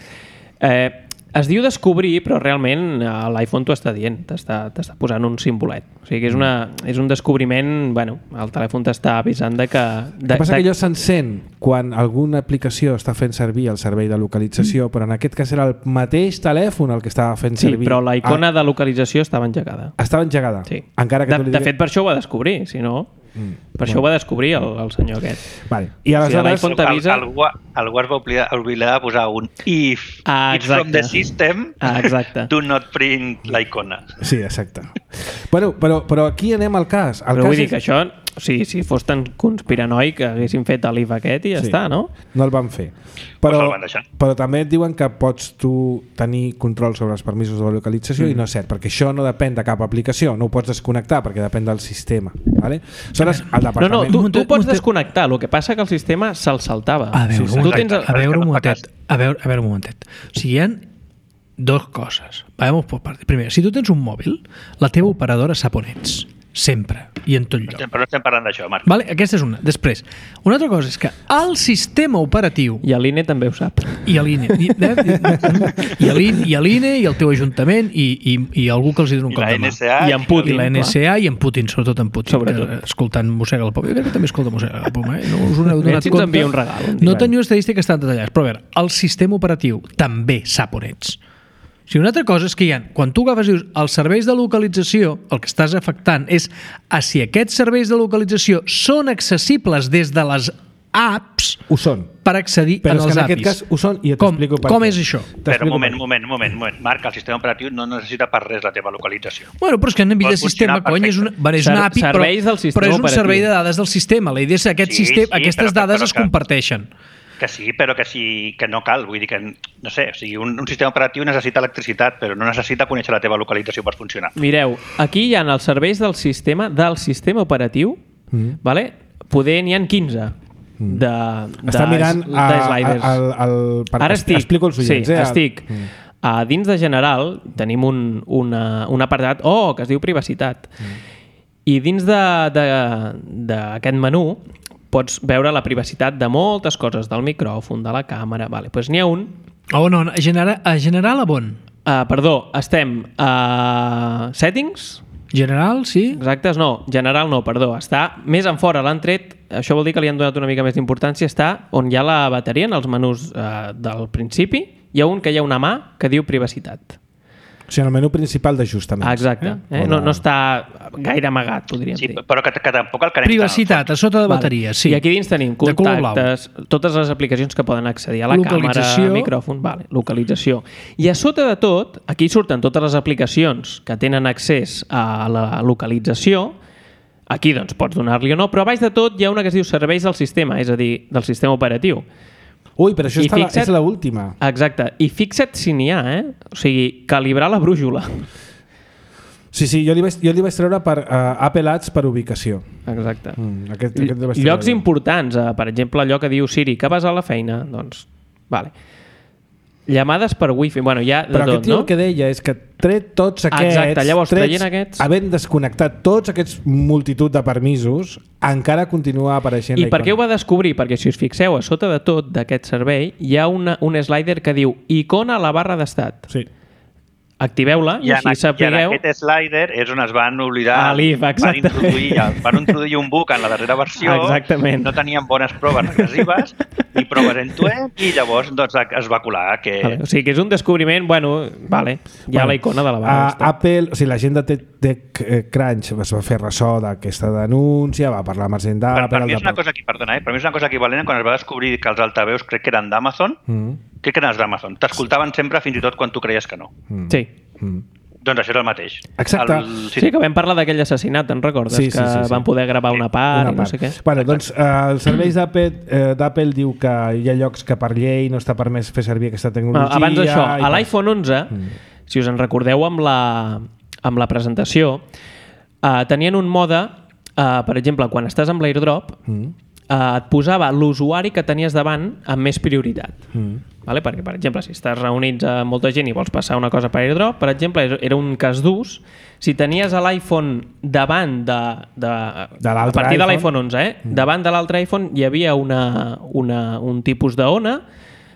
Es diu descobrir, però realment l'iPhone t'ho està dient, t'està posant un simbolet. O sigui que és un descobriment, bueno, el telèfon t'està avisant de que... El que passa que allò s'encén quan alguna aplicació està fent servir el servei de localització, però en aquest cas era el mateix telèfon el que estava fent servir. Sí, però la icona de localització estava engegada. Estava engegada? Sí. Encara que de fet, per això ho va descobrir, si no... Per això ho va descobrir el senyor aquest. Vale. I aleshores... Algú es va oblidar de posar un if it's from the system, do not print la icona. Sí, exacte. Bueno, però aquí anem al cas. Però vull dir que això, si fos tan conspiranoic, haguessin fet l'if aquest i ja està, no? No el van fer. Però també et diuen que pots tu tenir control sobre els permisos de localització i no és cert, perquè això no depèn de cap aplicació, no ho pots desconnectar perquè depèn del sistema. Vale? No, tu pots desconnectar, el que passa que el sistema se'l saltava. A veure un momentet. O sigui, hi ha dues coses. Vamos por partes. Primer, si tu tens un mòbil, la teva operadora sap on ets. Sempre. I en tot lloc. Però no estem parlant d'això, Marc. Vale? Aquesta és una. Després, una altra cosa és que el sistema operatiu... I l'INE també ho sap. I l'INE. I l'INE, i el teu ajuntament, i algú que els hi dona un cop de mà. I en Putin. I la NSA, i en Putin, sobretot en Putin. Escoltant Mossega la Poma. Jo crec que també escolta Mossega la Poma. No us n'heu donat compte. Ens envia un regal. No teniu estadístiques tan detallades. Però a veure, el sistema operatiu també sap on ets. O sigui, una altra cosa és que quan tu agafes i dius els serveis de localització, el que estàs afectant és a si aquests serveis de localització són accessibles des de les apps ho són. Per accedir en els APIs. Però en aquest cas ho són i t'explico per què. Com és això? Però moment. Marc, el sistema operatiu no necessita per res la teva localització. Bueno, però és que en àmbit de sistema, cony, és una API, però és un servei de dades del sistema. La idea és que aquestes dades es comparteixen. Que sí, però que no cal. Vull dir que, no sé, o sigui, un sistema operatiu necessita electricitat, però no necessita conèixer la teva localització per funcionar. Mireu, aquí hi ha els serveis del sistema operatiu, vale? Poder n'hi ha 15 Està mirant Ara estic, explico els oients. estic. Dins de general tenim un apartat que es diu privacitat. I dins d'aquest menú pots veure la privacitat de moltes coses, del micròfon, de la càmera. Vale, doncs n'hi ha un... a general a bon? Perdó, estem a settings... General, sí? Exacte, no, general no, perdó. Està més en fora, l'han tret, això vol dir que li han donat una mica més d'importància, està on hi ha la bateria, en els menús del principi, hi ha un que hi ha una mà que diu privacitat. O sigui, en el menú principal d'ajustaments. Exacte, no està gaire amagat, podríem dir. Però que tampoc el carem. Privacitat, a sota de bateria, sí. I aquí dins tenim contactes, totes les aplicacions que poden accedir a la càmera, micròfon, localització. I a sota de tot, aquí surten totes les aplicacions que tenen accés a la localització. Aquí doncs pots donar-li o no, però a baix de tot hi ha una que es diu serveis del sistema, és a dir, del sistema operatiu. Ui, però això és l'última. Exacte. I fixa't si n'hi ha, O sigui, calibrar la brújula. Sí, jo li vaig treure per Apple Ads per ubicació. Exacte. Llocs importants, per exemple, allò que diu Siri, que vas a la feina? Doncs, vale. Llamades per wifi, bueno, hi ha de però tot, aquest tio el que deia és que tret tots aquests... Exacte, llavors traient aquests... Havent desconnectat tots aquests multitud de permisos, encara continua apareixent la icona. I per què ho va descobrir? Perquè si us fixeu, a sota de tot d'aquest servei hi ha un slider que diu icona a la barra d'estat. Sí. Activeu-la i així sapigueu... I en aquest slider és on es van oblidar... Van introduir un bug en la darrera versió. Exactament. No tenien bones proves regressives ni proves end-to-end i llavors es va colar que... O sigui que és un descobriment, hi ha la icona de la barra d'estat. Apple, o sigui, la gent de TechCrunch es va fer ressò d'aquesta denúncia, va parlar amb gent d'Apple... Per mi és una cosa equivalent quan es va descobrir que els altaveus crec que eren d'Amazon, crec que eren els d'Amazon. T'escoltaven sempre fins i tot quan tu creies que no. Sí. Doncs això és el mateix. Exacte. Sí, que vam parlar d'aquell assassinat, te'n recordes? Sí. Van poder gravar una part i no sé què. Bueno, doncs els serveis d'Apple diu que hi ha llocs que per llei no està permès fer servir aquesta tecnologia. Abans d'això, a l'iPhone 11, si us en recordeu amb la presentació, tenien un mode, per exemple, quan estàs amb l'AirDrop, et posava l'usuari que tenies davant amb més prioritat. Vale? Perquè, per exemple, si estàs reunits amb molta gent i vols passar una cosa per AirDrop, per exemple, era un cas d'ús. Si tenies l'iPhone davant a partir de l'iPhone 11, davant de l'altre iPhone hi havia un tipus d'ona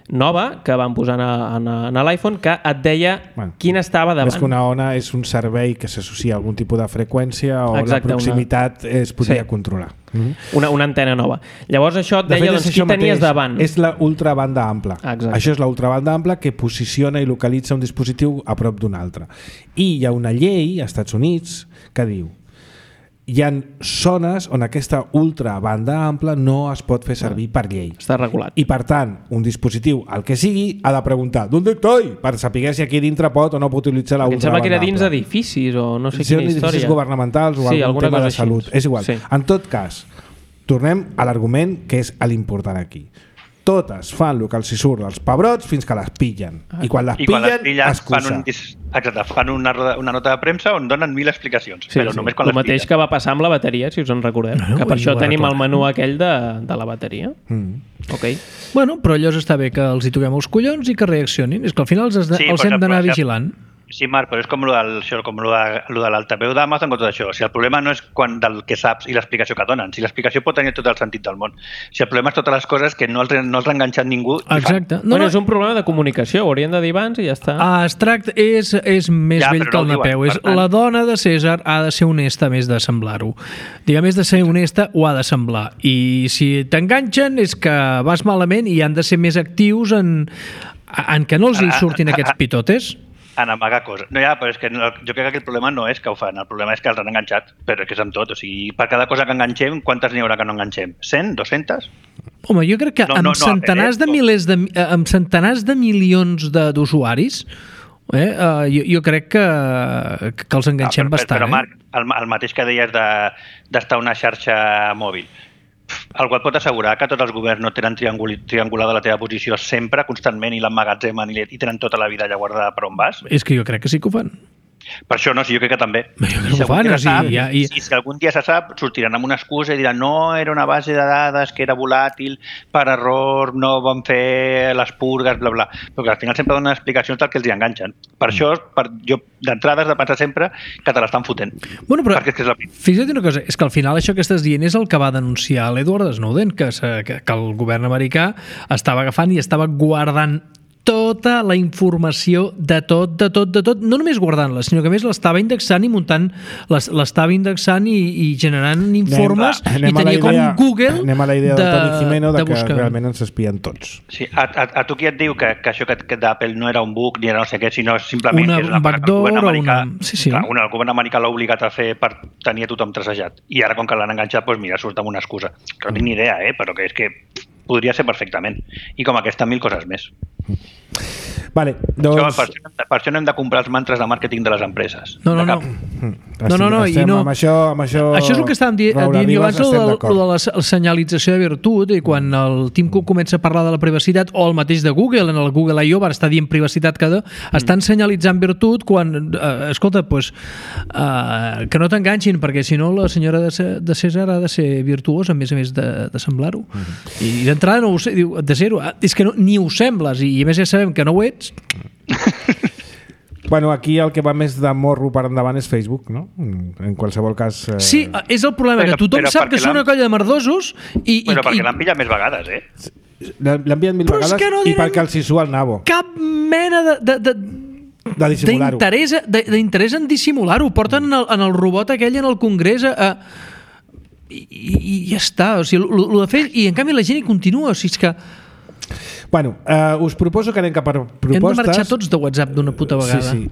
nova que van posar en l'iPhone que et deia quin estava davant. Més que una ona és un servei que s'associa a algun tipus de freqüència o la proximitat es podria controlar. Una antena nova. Llavors això et deia qui tenies davant. És la ultrabanda ampla. Això és la ultrabanda ampla que posiciona i localitza un dispositiu a prop d'un altre. I hi ha una llei als Estats Units que diu hi ha zones on aquesta ultrabanda ampla no es pot fer servir per llei. Està regulat. I per tant, un dispositiu, el que sigui, ha de preguntar ¿dónde estoy? Per saber si aquí dintre pot o no pot utilitzar la ultrabanda ampla. Em sembla que era dins d'edificis o no sé quina història. Edificis governamentals o algun tema de salut. És igual. En tot cas, tornem a l'argument que és l'important aquí. Totes fan el que els hi surt dels pebrots fins que les pillen. I quan les pillen, excusa. Fan una nota de premsa on donen 1000 explicacions. Però només quan les pillen. El mateix que va passar amb la bateria, si us en recordeu. Que per això tenim el menú aquell de la bateria. Bueno, però allò està bé que els hi toquem els collons i que reaccionin. És que al final els hem d'anar vigilant. Sí, Marc, però és com de l'altaveu d'Amazon o tot això. Si el problema no és del que saps i l'explicació que donen. Si l'explicació pot tenir tot el sentit del món. Si el problema és totes les coses que no els ha enganxat ningú. Exacte. És un problema de comunicació. Ho haurien de dir abans i ja està. Extracte és més vell que el Napeu. La dona de César ha de ser honesta més de semblar-ho. Diguem, més de ser honesta ho ha de semblar. I si t'enganxen és que vas malament i han de ser més actius en que no els hi surtin aquests pitotes. En amagar coses. No, però és que jo crec que el problema no és que ho fan, el problema és que els han enganxat, però és que és amb tot. O sigui, per cada cosa que enganxem, quantes n'hi haurà que no enganxem? 100? 200? Home, jo crec que amb centenars de milions d'usuaris jo crec que els enganxem bastant. Però Marc, el mateix que deies d'estar una xarxa mòbil, el qual pot assegurar que tots els governs no tenen triangulada la teva posició sempre, constantment, i l'emmagatzemen i tenen tota la vida allà guardada per on vas? És que jo crec que sí que ho fan. Per això no, sí, jo crec que també. Si algun dia se sap, sortiran amb una excusa i diran no, era una base de dades que era volàtil, per error, no van fer les purgues, bla, bla. Perquè al final sempre donen explicacions del que els hi enganxen. Per això, jo d'entrada has de pensar sempre que te l'estan fotent. Bueno, però fixa't una cosa, és que al final això que estàs dient és el que va denunciar l'Edward Snowden, que el govern americà estava agafant i estava guardant tota la informació de tot, no només guardant-la, sinó que a més l'estava indexant i muntant, l'estava indexant i generant informes i tenia com Google anem a la idea del Toni Jimeno de que realment ens espien tots. Sí, a tu qui et diu que això que d'Apple no era un bug ni era no sé què, sinó simplement que és un backdoor o una... El govern americà l'ha obligat a fer per tenir a tothom tracejat. I ara com que l'han enganxat, doncs mira, surt amb una excusa. Que no tinc ni idea, però que és que podria ser perfectament. I com aquesta, 1000 coses més. Vale, doncs... Per això no hem de comprar els mantres de màrqueting de les empreses. No. Això és el que estàvem dient jo abans, de la senyalització de virtut, i quan el Tim Cook comença a parlar de la privacitat, o el mateix de Google, en el Google I.O. va estar dient privacitat estan senyalitzant virtut quan, escolta, que no t'enganxin, perquè si no la senyora de César ha de ser virtuosa, a més de semblar-ho. I d'entrada no ho sé, diu, de zero, és que ni ho sembles, i a més ja sabem que no ho ets. Bueno, aquí el que va més de morro per endavant és Facebook, no? En qualsevol cas... Sí, és el problema, que tothom sap que són una colla de merdosos però perquè l'han pillat més vegades, L'han pillat 1000 vegades i perquè els hi sua el nabo. Cap mena d'interès en dissimular-ho. Porten en el robot aquell en el Congrés i ja està. O sigui, el de fer, i en canvi la gent hi continua. O sigui, és que... Bueno, us proposo que anem cap a propostes. Hem de marxar tots de WhatsApp d'una puta vegada. Sí.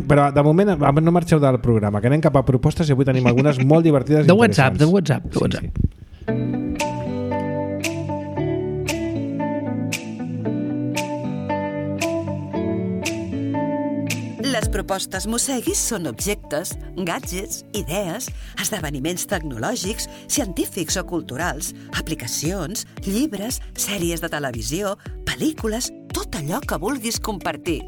Però de moment no marxeu del programa, que anem cap a propostes i avui tenim algunes molt divertides i interessants. De WhatsApp. Sí. Les propostes Mosseguis són objectes, gadgets, idees, esdeveniments tecnològics, científics o culturals, aplicacions, llibres, sèries de televisió, pel·lícules, tot allò que vulguis compartir.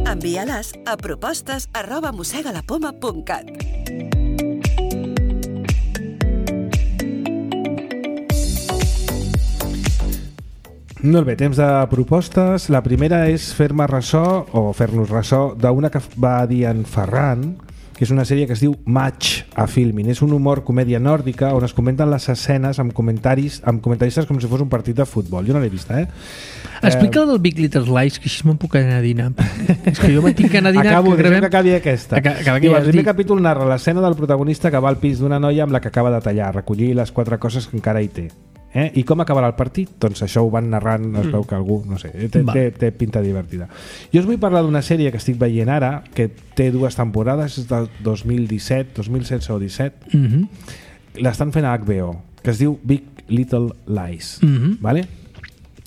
Envia-les a propostes@mossegalapoma.cat. Molt bé, temps de propostes. La primera és fer-me ressò, o fer-nos ressò, d'una que va dir en Ferran, que és una sèrie que es diu Match a Filmin. És un humor comèdia nòrdica on es comenten les escenes amb comentaristes com si fos un partit de futbol. Jo no l'he vista, Explica el del Big Little Lies, que així me'n puc anar a dinar. És que jo me'n tinc que anar a dinar. Acabo, deixem que acabi aquesta. El primer capítol narra l'escena del protagonista que va al pis d'una noia amb la que acaba de tallar, recollir les 4 coses que encara hi té. I com acabarà el partit? Doncs això ho van narrant, es veu que algú, no sé, té pinta divertida. Jo us vull parlar d'una sèrie que estic veient ara, que té 2 temporades, és del 2017 o 17. L'estan fent a HBO, que es diu Big Little Lies. Vale?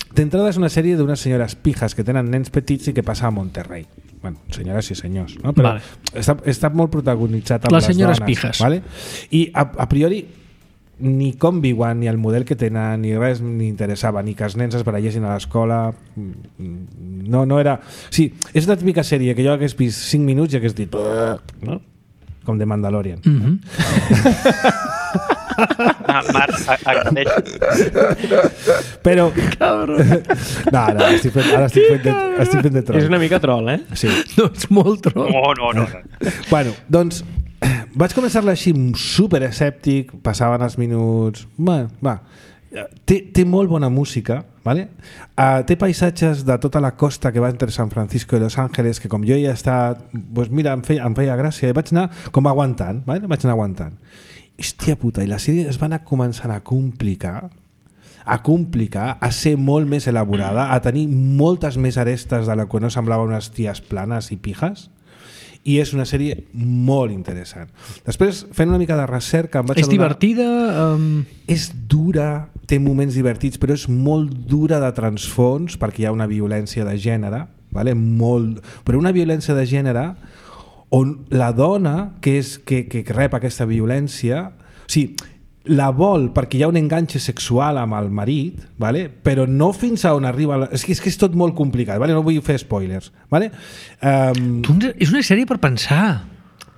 D'entrada és una sèrie d'unes senyores pijas que tenen nens petits i que passa a Monterrey. Bueno, senyores i senyors, no? Però està molt protagonitzat amb les senyores dones. Pijas. Vale? I a priori ni com viuen, ni el model que tenen, ni res ni interessava, ni que els nens es barallessin a l'escola. No era... Sí, és la típica sèrie que jo hagués vist 5 minuts i hagués dit... No? Com de Mandalorian. Marc, agradeix. Però... No, estic fent de troll. És una mica troll, Sí. No, és molt troll. No. Bueno, doncs vaig començar-la així super escèptic, passaven els minuts... Té molt bona música, ¿vale? Té paisatges de tota la costa que va entre San Francisco i Los Ángeles, que com jo ja he estat, doncs mira, em feia gràcia, i vaig anar com aguantant, ¿vale? Vaig anar aguantant. Hòstia puta, i la sèrie es va anar començant a complicar, a ser molt més elaborada, a tenir moltes més arestes de la que no semblava unes ties planes i pijes, i és una sèrie molt interessant. Després, fent una mica de recerca... És divertida? És dura, té moments divertits, però és molt dura de transfons, perquè hi ha una violència de gènere, vale? Però una violència de gènere on la dona que rep aquesta violència... O sigui, la vol perquè hi ha un enganxe sexual amb el marit, vale? Però no fins a on arriba... És que és tot molt complicat, vale? No vull fer spoilers. Vale? És una sèrie per pensar.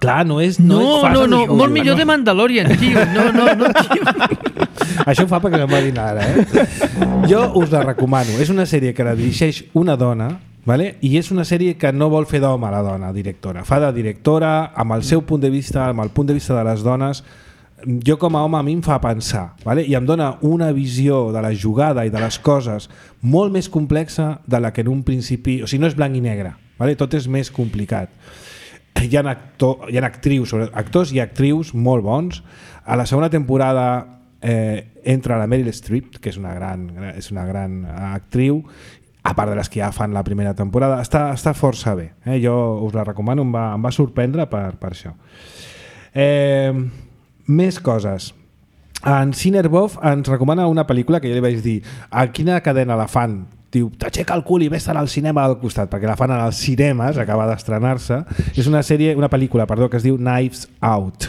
Clar, no és fàcil. No, molt millor de Mandalorian, tio. No, tio. Això ho fa perquè no m'ha dit ara, Jo us la recomano. És una sèrie que la dirigeix una dona, vale? I és una sèrie que no vol fer d'home la dona directora. Fa de directora amb el seu punt de vista, amb el punt de vista de les dones. Jo com a home a mi em fa pensar, vale? I em dona una visió de la jugada i de les coses molt més complexa de la que en un principi... O sigui, no és blanc i negre, vale? Tot és més complicat. Hi ha actors i actrius molt bons. A la segona temporada entra la Meryl Streep, que és una gran actriu, a part de les que ja fan la primera temporada. Està força bé, jo us la recomano, em va sorprendre per això. Més coses. En Cinerbov ens recomana una pel·lícula que jo li vaig dir a quina cadena la fan? Diu, t'aixeca el cul i vés al cinema del costat, perquè la fan als cinemes, acaba d'estrenar-se. És una pel·lícula que es diu Knives Out.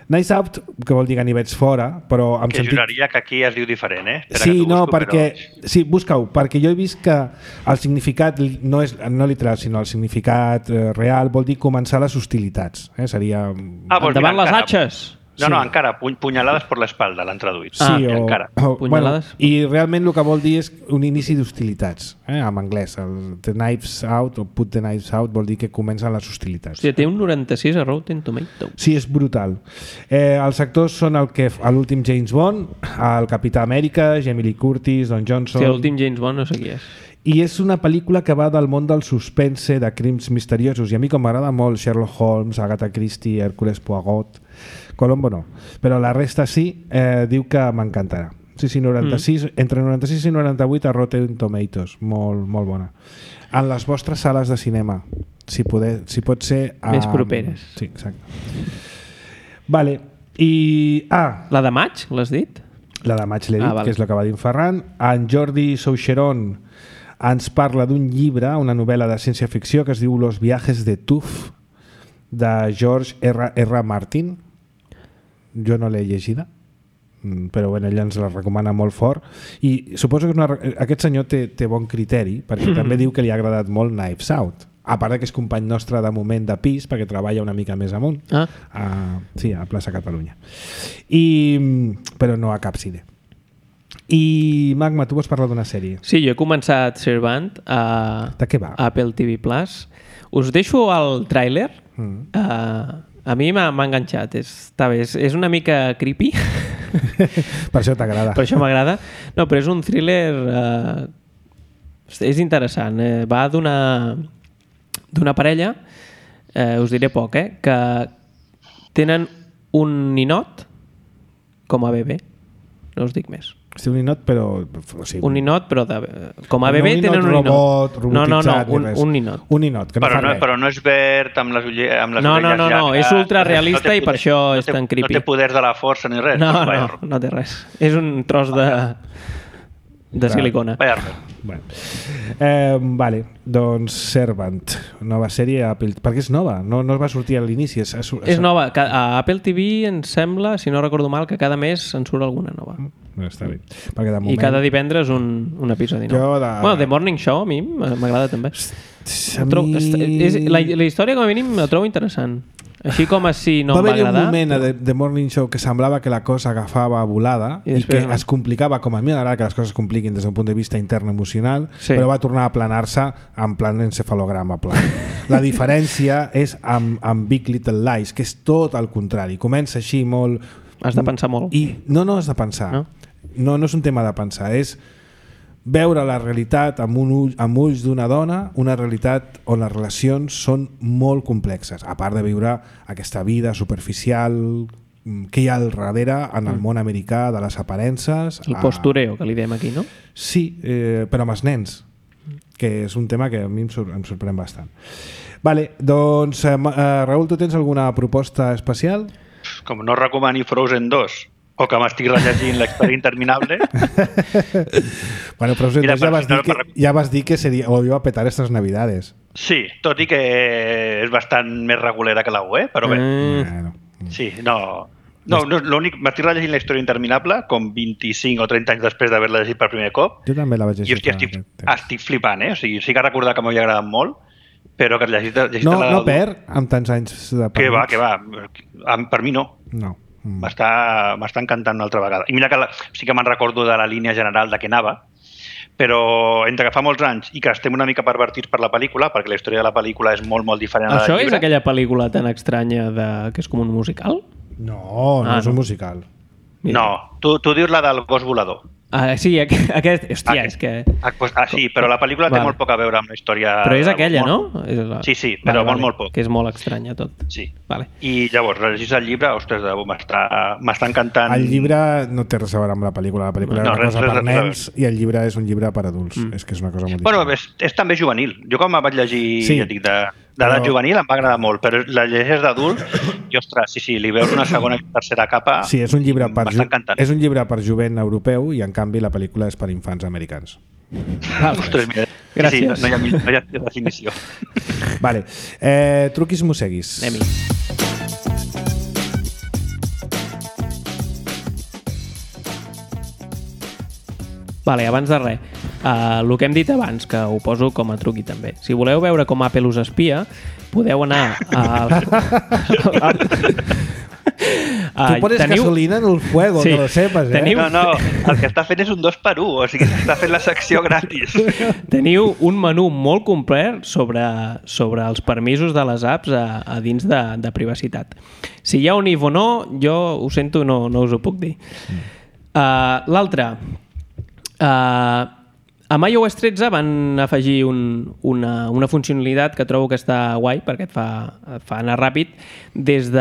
Knives Out, que vol dir ganivets fora, però... Que juraria que aquí es diu diferent, Sí, no, perquè... Sí, busca-ho, perquè jo he vist que el significat no és no literal, sinó el significat real vol dir començar les hostilitats. Seria... Endavant les atxes! No, encara, punyalades per l'espalda, l'han traduït. Sí, encara. Punyalades. I realment el que vol dir és un inici d'hostilitats, en anglès. El the knives out, o put the knives out, vol dir que comencen les hostilitats. Sí, té un 96 a Rotten Tomatoes. Sí, és brutal. Els actors són l'últim James Bond, el Capità Amèrica, Jamie Lee Curtis, Don Johnson... Sí, l'últim James Bond no sé qui és. I és una pel·lícula que va del món del suspense, de crims misteriosos, i a mi com m'agrada molt Sherlock Holmes, Agatha Christie, Hercule Poirot, Colombo no, però la resta sí, diu que m'encantarà. Sí, 96, entre 96 i 98 a Rotten Tomatoes, molt bona. En les vostres sales de cinema, si pot ser... Més properes. Sí, exacte. Vale, i... La de maig, l'has dit? La de maig l'he dit, que és la que va dir en Ferran. En Jordi Soucheron ens parla d'un llibre, una novel·la de ciència-ficció que es diu Los viajes de Tuf, de George R. Martin. Jo no l'he llegida, però bueno, ella ens la recomana molt fort i suposo que aquest senyor té bon criteri perquè també diu que li ha agradat molt Knives Out, a part que és company nostre de moment de pis perquè treballa una mica més amunt a Plaça Catalunya però no a cap cine. I Magma, tu vols parlar d'una sèrie? Sí, jo he començat Servant de què va? Apple TV Plus. Us deixo el tràiler. A mi m'ha enganxat, està bé, és una mica creepy. Per això t'agrada. Per això m'agrada. No, però és un thriller... és interessant. Va d'una parella, us diré poc, que tenen un ninot com a bebè. No us dic més. Sí, un ninot, però... O sigui, un ninot, però com a bebè tenen un ninot. Robotitzat, un ninot. Un ninot, que no fa res. Però no és verd amb les orelles No, és ultrarealista i per això és tan creepy. No té poders de la força ni res. No té res. És un tros de silicona. Bueno. Vale, doncs Servant, nova sèrie a Apple, perquè és nova, no es va sortir a l'inici. És nova, a Apple TV em sembla, si no recordo mal, que cada mes en surt alguna nova. Està bé. Perquè de moment... I cada divendres un episodi nou. Bueno, The Morning Show a mi m'agrada també. La història com a mínim la trobo interessant. Així com si no em va agradar. Va haver un moment a The Morning Show que semblava que la cosa agafava volada i que es complicava, com a mi m'agrada que les coses es compliquin des d'un punt de vista intern emocional, però va tornar a planar-se en plan encefalograma pla. La diferència és amb Big Little Lies, que és tot el contrari. Comença així molt... Has de pensar molt. No has de pensar. No és un tema de pensar, és veure la realitat amb ulls d'una dona, una realitat on les relacions són molt complexes, a part de viure aquesta vida superficial que hi ha al darrere en el món americà de les aparences. El postureo, que li diem aquí, no? Sí, però amb els nens, que és un tema que a mi em sorprèn bastant. Vale, doncs, Raül, tu tens alguna proposta especial? Com no recomani Frozen 2, o que m'estic rellegint l'Història interminable. Bueno, però ja vas dir que ho iba a petar estas navidades. Sí, tot i que és bastant més regulera que la UE, però bé. Sí, l'únic, m'estic rellegint la Història interminable com 25 o 30 anys després d'haver-la llegit per primer cop. Jo també la vaig llegir. I estic flipant, O sigui, sí que recordar que m'havia agradat molt, però que llegit no perd amb tants anys de parlar. Que va. Per mi no. No. M'està encantant una altra vegada. I mira que sí que me'n recordo de la línia general de què anava, però entre que fa molts anys i que estem una mica pervertits per la pel·lícula, perquè la història de la pel·lícula és molt, molt diferent a la del llibre. Això és aquella pel·lícula tan estranya que és com un musical? No és un musical. No, tu dius la del gos volador. Sí, aquest... Hòstia, és que... Sí, però la pel·lícula té molt poc a veure amb la història... Però és aquella, no? Sí, però molt poc. Que és molt estranya tot. Sí. I llavors, rellegis el llibre, ostres, m'està encantant... El llibre no té res a veure amb la pel·lícula. La pel·lícula és una cosa per nens i el llibre és un llibre per adults. És que és una cosa molt diferent. Bueno, és també juvenil. Jo quan vaig llegir, ja dic, d'edat juvenil em va agradar molt, però la llegeix d'adult i, ostres, sí, li veus una segona i tercera capa. Sí, és un llibre per jovent europeu i, en canvi, la pel·lícula és per infants americans. Ostres, mira. Gràcies. Sí, no hi ha definició. Vale. Truquis mosseguis. Anem-hi. Vale, abans de res, el que hem dit abans, que ho poso com a truqui també. Si voleu veure com Apple us espia, podeu anar Tu pones gasolina en el fuego, que lo sepas, No, el que està fent és un 2x1, o sigui, està fent la secció gratis. Teniu un menú molt complet sobre els permisos de les apps a dins de privacitat. Si hi ha un if o no, jo ho sento, no us ho puc dir. L'altre, amb iOS 13 van afegir una funcionalitat que trobo que està guai perquè et fa anar ràpid. Des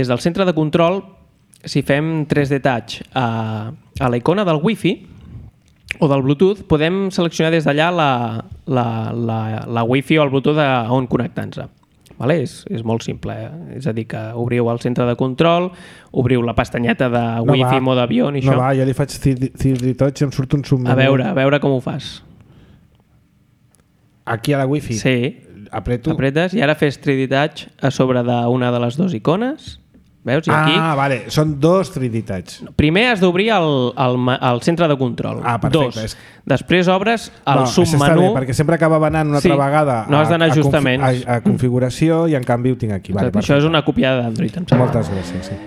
del centre de control, si fem 3D Touch a la icona del Wi-Fi o del Bluetooth, podem seleccionar des d'allà la Wi-Fi o el Bluetooth on connectar-nos. Vale? És molt simple, és a dir, que obriu el centre de control, obriu la pestanyeta de Wi-Fi, mode avió i això. No va, jo li faig 3D Touch i em surt un submenu. A veure com ho fas. aquí a la wifi. Sí. Apreto. Apretes i ara fes 3D Touch a sobre d'una de les dues icones. Veus? I aquí... vale. Són 2 3D Touch. Primer has d'obrir el centre de control. Perfecte. 2. Després obres el submenú. Està bé, perquè sempre acaba anant una altra vegada no has d'anar ajustaments. A configuració i en canvi ho tinc aquí. Vale, això és una copiada d'Android. Moltes gràcies, sí.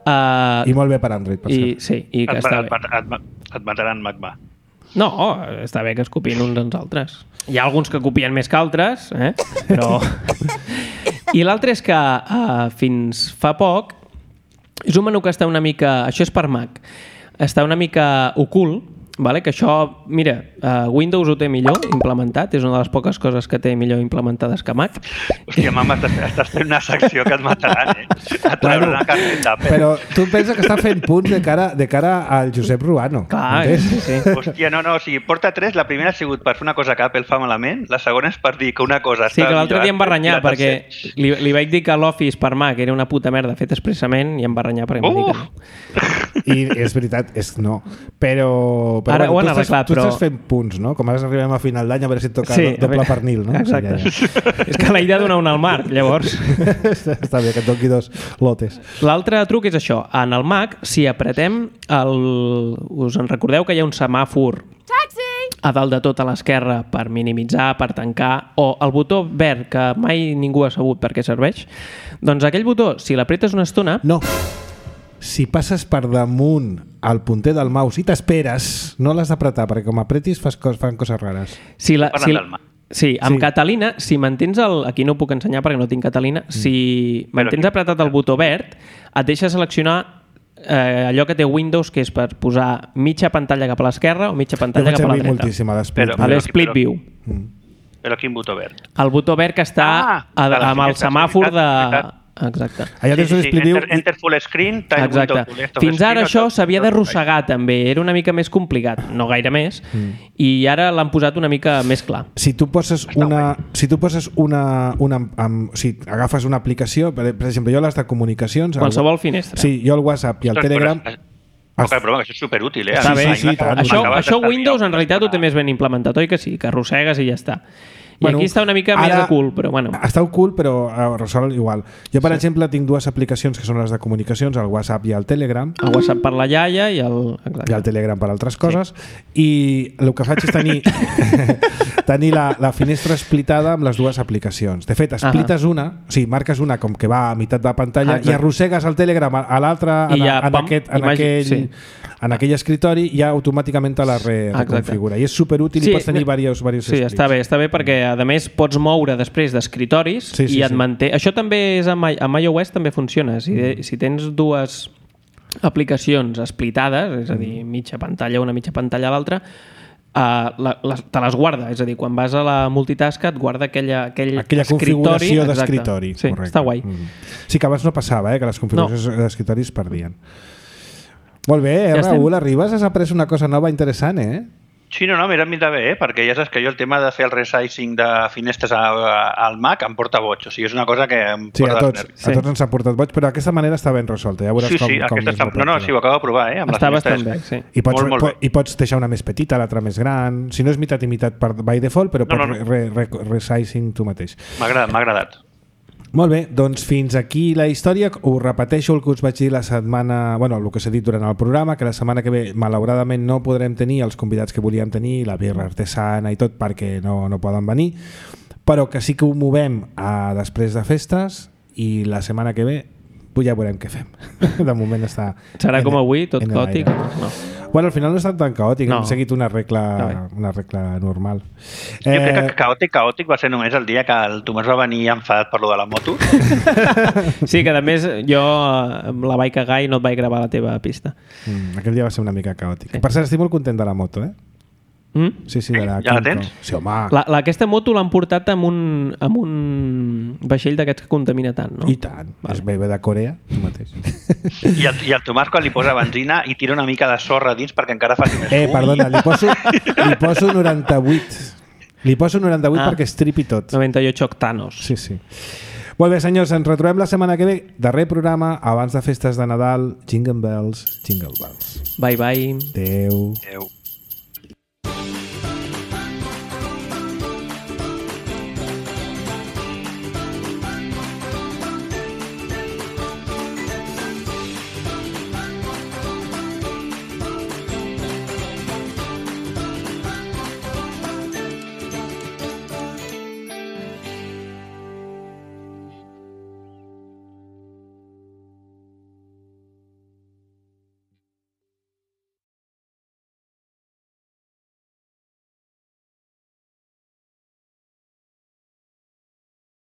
I molt bé per Android, per cert. Sí, i que està bé. Et mataran Magma. No, està bé que es copiïn uns als altres. Hi ha alguns que copien més que altres, però... I l'altre és que fins fa poc és un menú que està una mica... Això és per Mac. Està una mica ocult, vale? Que això, mira, Windows ho té millor implementat, és una de les poques coses que té millor implementades que Mac. Hòstia, mama, estàs fent una secció que et mataran, A treure una carpeta. Però tu pensa que està fent punts de cara al Josep Ruano. Clar, sí. Hòstia, no, o sigui, porta 3, la primera ha sigut per fer una cosa que Apple fa malament, la segona és per dir que una cosa està... Sí, que l'altre dia em va renyar, perquè li vaig dir que l'Office per Mac era una puta merda fet expressament i em va renyar perquè em va dir que no. I és veritat, no. Però ara ho han arreglat, tu estàs fent punts, no? Com ara arribem a final d'any a veure si et toca doble pernil, no? Exacte. És que la idea dona una al Marc, llavors. Està bé, que et toqui 2 lotes. L'altre truc és això. En el Mac, si apretem us en recordeu que hi ha un semàfor a dalt de tot a l'esquerra per minimitzar, per tancar, o el botó verd que mai ningú ha sabut per què serveix? Doncs aquell botó, si l'apretes una estona... No. Si passes per damunt el punter del mouse i t'esperes, no l'has d'apretar, perquè com apretis fan coses rares. Sí, amb Catalina, si mantens aquí no ho puc ensenyar perquè no tinc Catalina, si mantens apretat el botó verd, et deixa seleccionar allò que té Windows, que és per posar mitja pantalla cap a l'esquerra o mitja pantalla cap a la dreta. Moltíssim a l'Split View. Però quin botó verd? El botó verd que està amb el semàfor de... Exacte. Enter full screen, exacte. Fins ara això s'havia d'arrossegar també, era una mica més complicat, no gaire més, i ara l'han posat una mica més clar. Si tu poses agafes una aplicació, per exemple, jo les de comunicacions... Qualsevol finestra. Sí, jo el WhatsApp i el Telegram... Però això és superútil, Està bé, sí. Això Windows en realitat ho té més ben implementat, oi que sí? Que arrossegues i ja està. I aquí està una mica més ocult, però bueno. Està ocult, però resol igual. Jo, per exemple, tinc 2 aplicacions que són les de comunicacions, el WhatsApp i el Telegram. El WhatsApp per la iaia i el Telegram per altres coses. I el que faig és tenir la finestra splitada amb les 2 aplicacions. De fet, splites una, o sigui, marques una com que va a meitat de pantalla i arrossegues el Telegram a l'altre en aquell escritori i ja automàticament te la reconfigura. I és superútil i pots tenir diversos escrits. Sí, està bé perquè a més pots moure després d'escritoris i et manté. Això també és amb iOS també funciona. Si tens 2 aplicacions splitades, és a dir, mitja pantalla una, mitja pantalla a l'altra, te les guarda. És a dir, quan vas a la multitask et guarda aquella configuració d'escritori. Sí, està guai. Sí, que abans no passava, que les configuracions d'escritori es perdien. Molt bé, Raül, arribes, has après una cosa nova interessant, Sí, no, mira, m'hi bé, perquè ja saps que jo el tema de fer el resizing de finestres al Mac em porta boig, o sigui, és una cosa que em porta dels nervis. A tots ens ha portat boig, però d'aquesta manera està ben resolta, ja veuràs com ho acabo de provar, amb està bastant bé, sí. I pots deixar una més petita, l'altra més gran, si no és mitat i mitat by default, però pots resizing tu mateix. M'ha agradat. Molt bé, doncs fins aquí la història. Us repeteixo el que us vaig dir la setmana... el que s'ha dit durant el programa, que la setmana que ve malauradament no podrem tenir els convidats que volíem tenir, la birra artesana i tot, perquè no poden venir, però que sí que ho movem a després de festes i la setmana que ve ja veurem què fem. De moment està... Serà com avui, tot caòtic? No. Bueno, al final no ha estat tan caòtic, hem seguit una regla normal. Jo crec que caòtic va ser només el dia que el Tomàs va venir enfadat per lo de la moto. Sí, que a més jo la vaig cagar i no et vaig gravar la teva pista. Aquell dia va ser una mica caòtic. Per cert, estic molt content de la moto, Sí, de la ja la tens? Sí, home. Aquesta moto l'han portat amb un vaixell d'aquests que contamina tant, no? I tant. Vale. És bebè de Corea, tu mateix. I el Tomàs quan li posa benzina i tira una mica de sorra dins perquè encara faci més. Perdona, li poso 98. Li poso 98 perquè estripi tot. 98 octanos. Sí. Molt bé, senyors, ens retrobem la setmana que ve. Darrer programa, abans de festes de Nadal. Jingle bells, jingle bells. Bye, bye. Adéu. Adéu.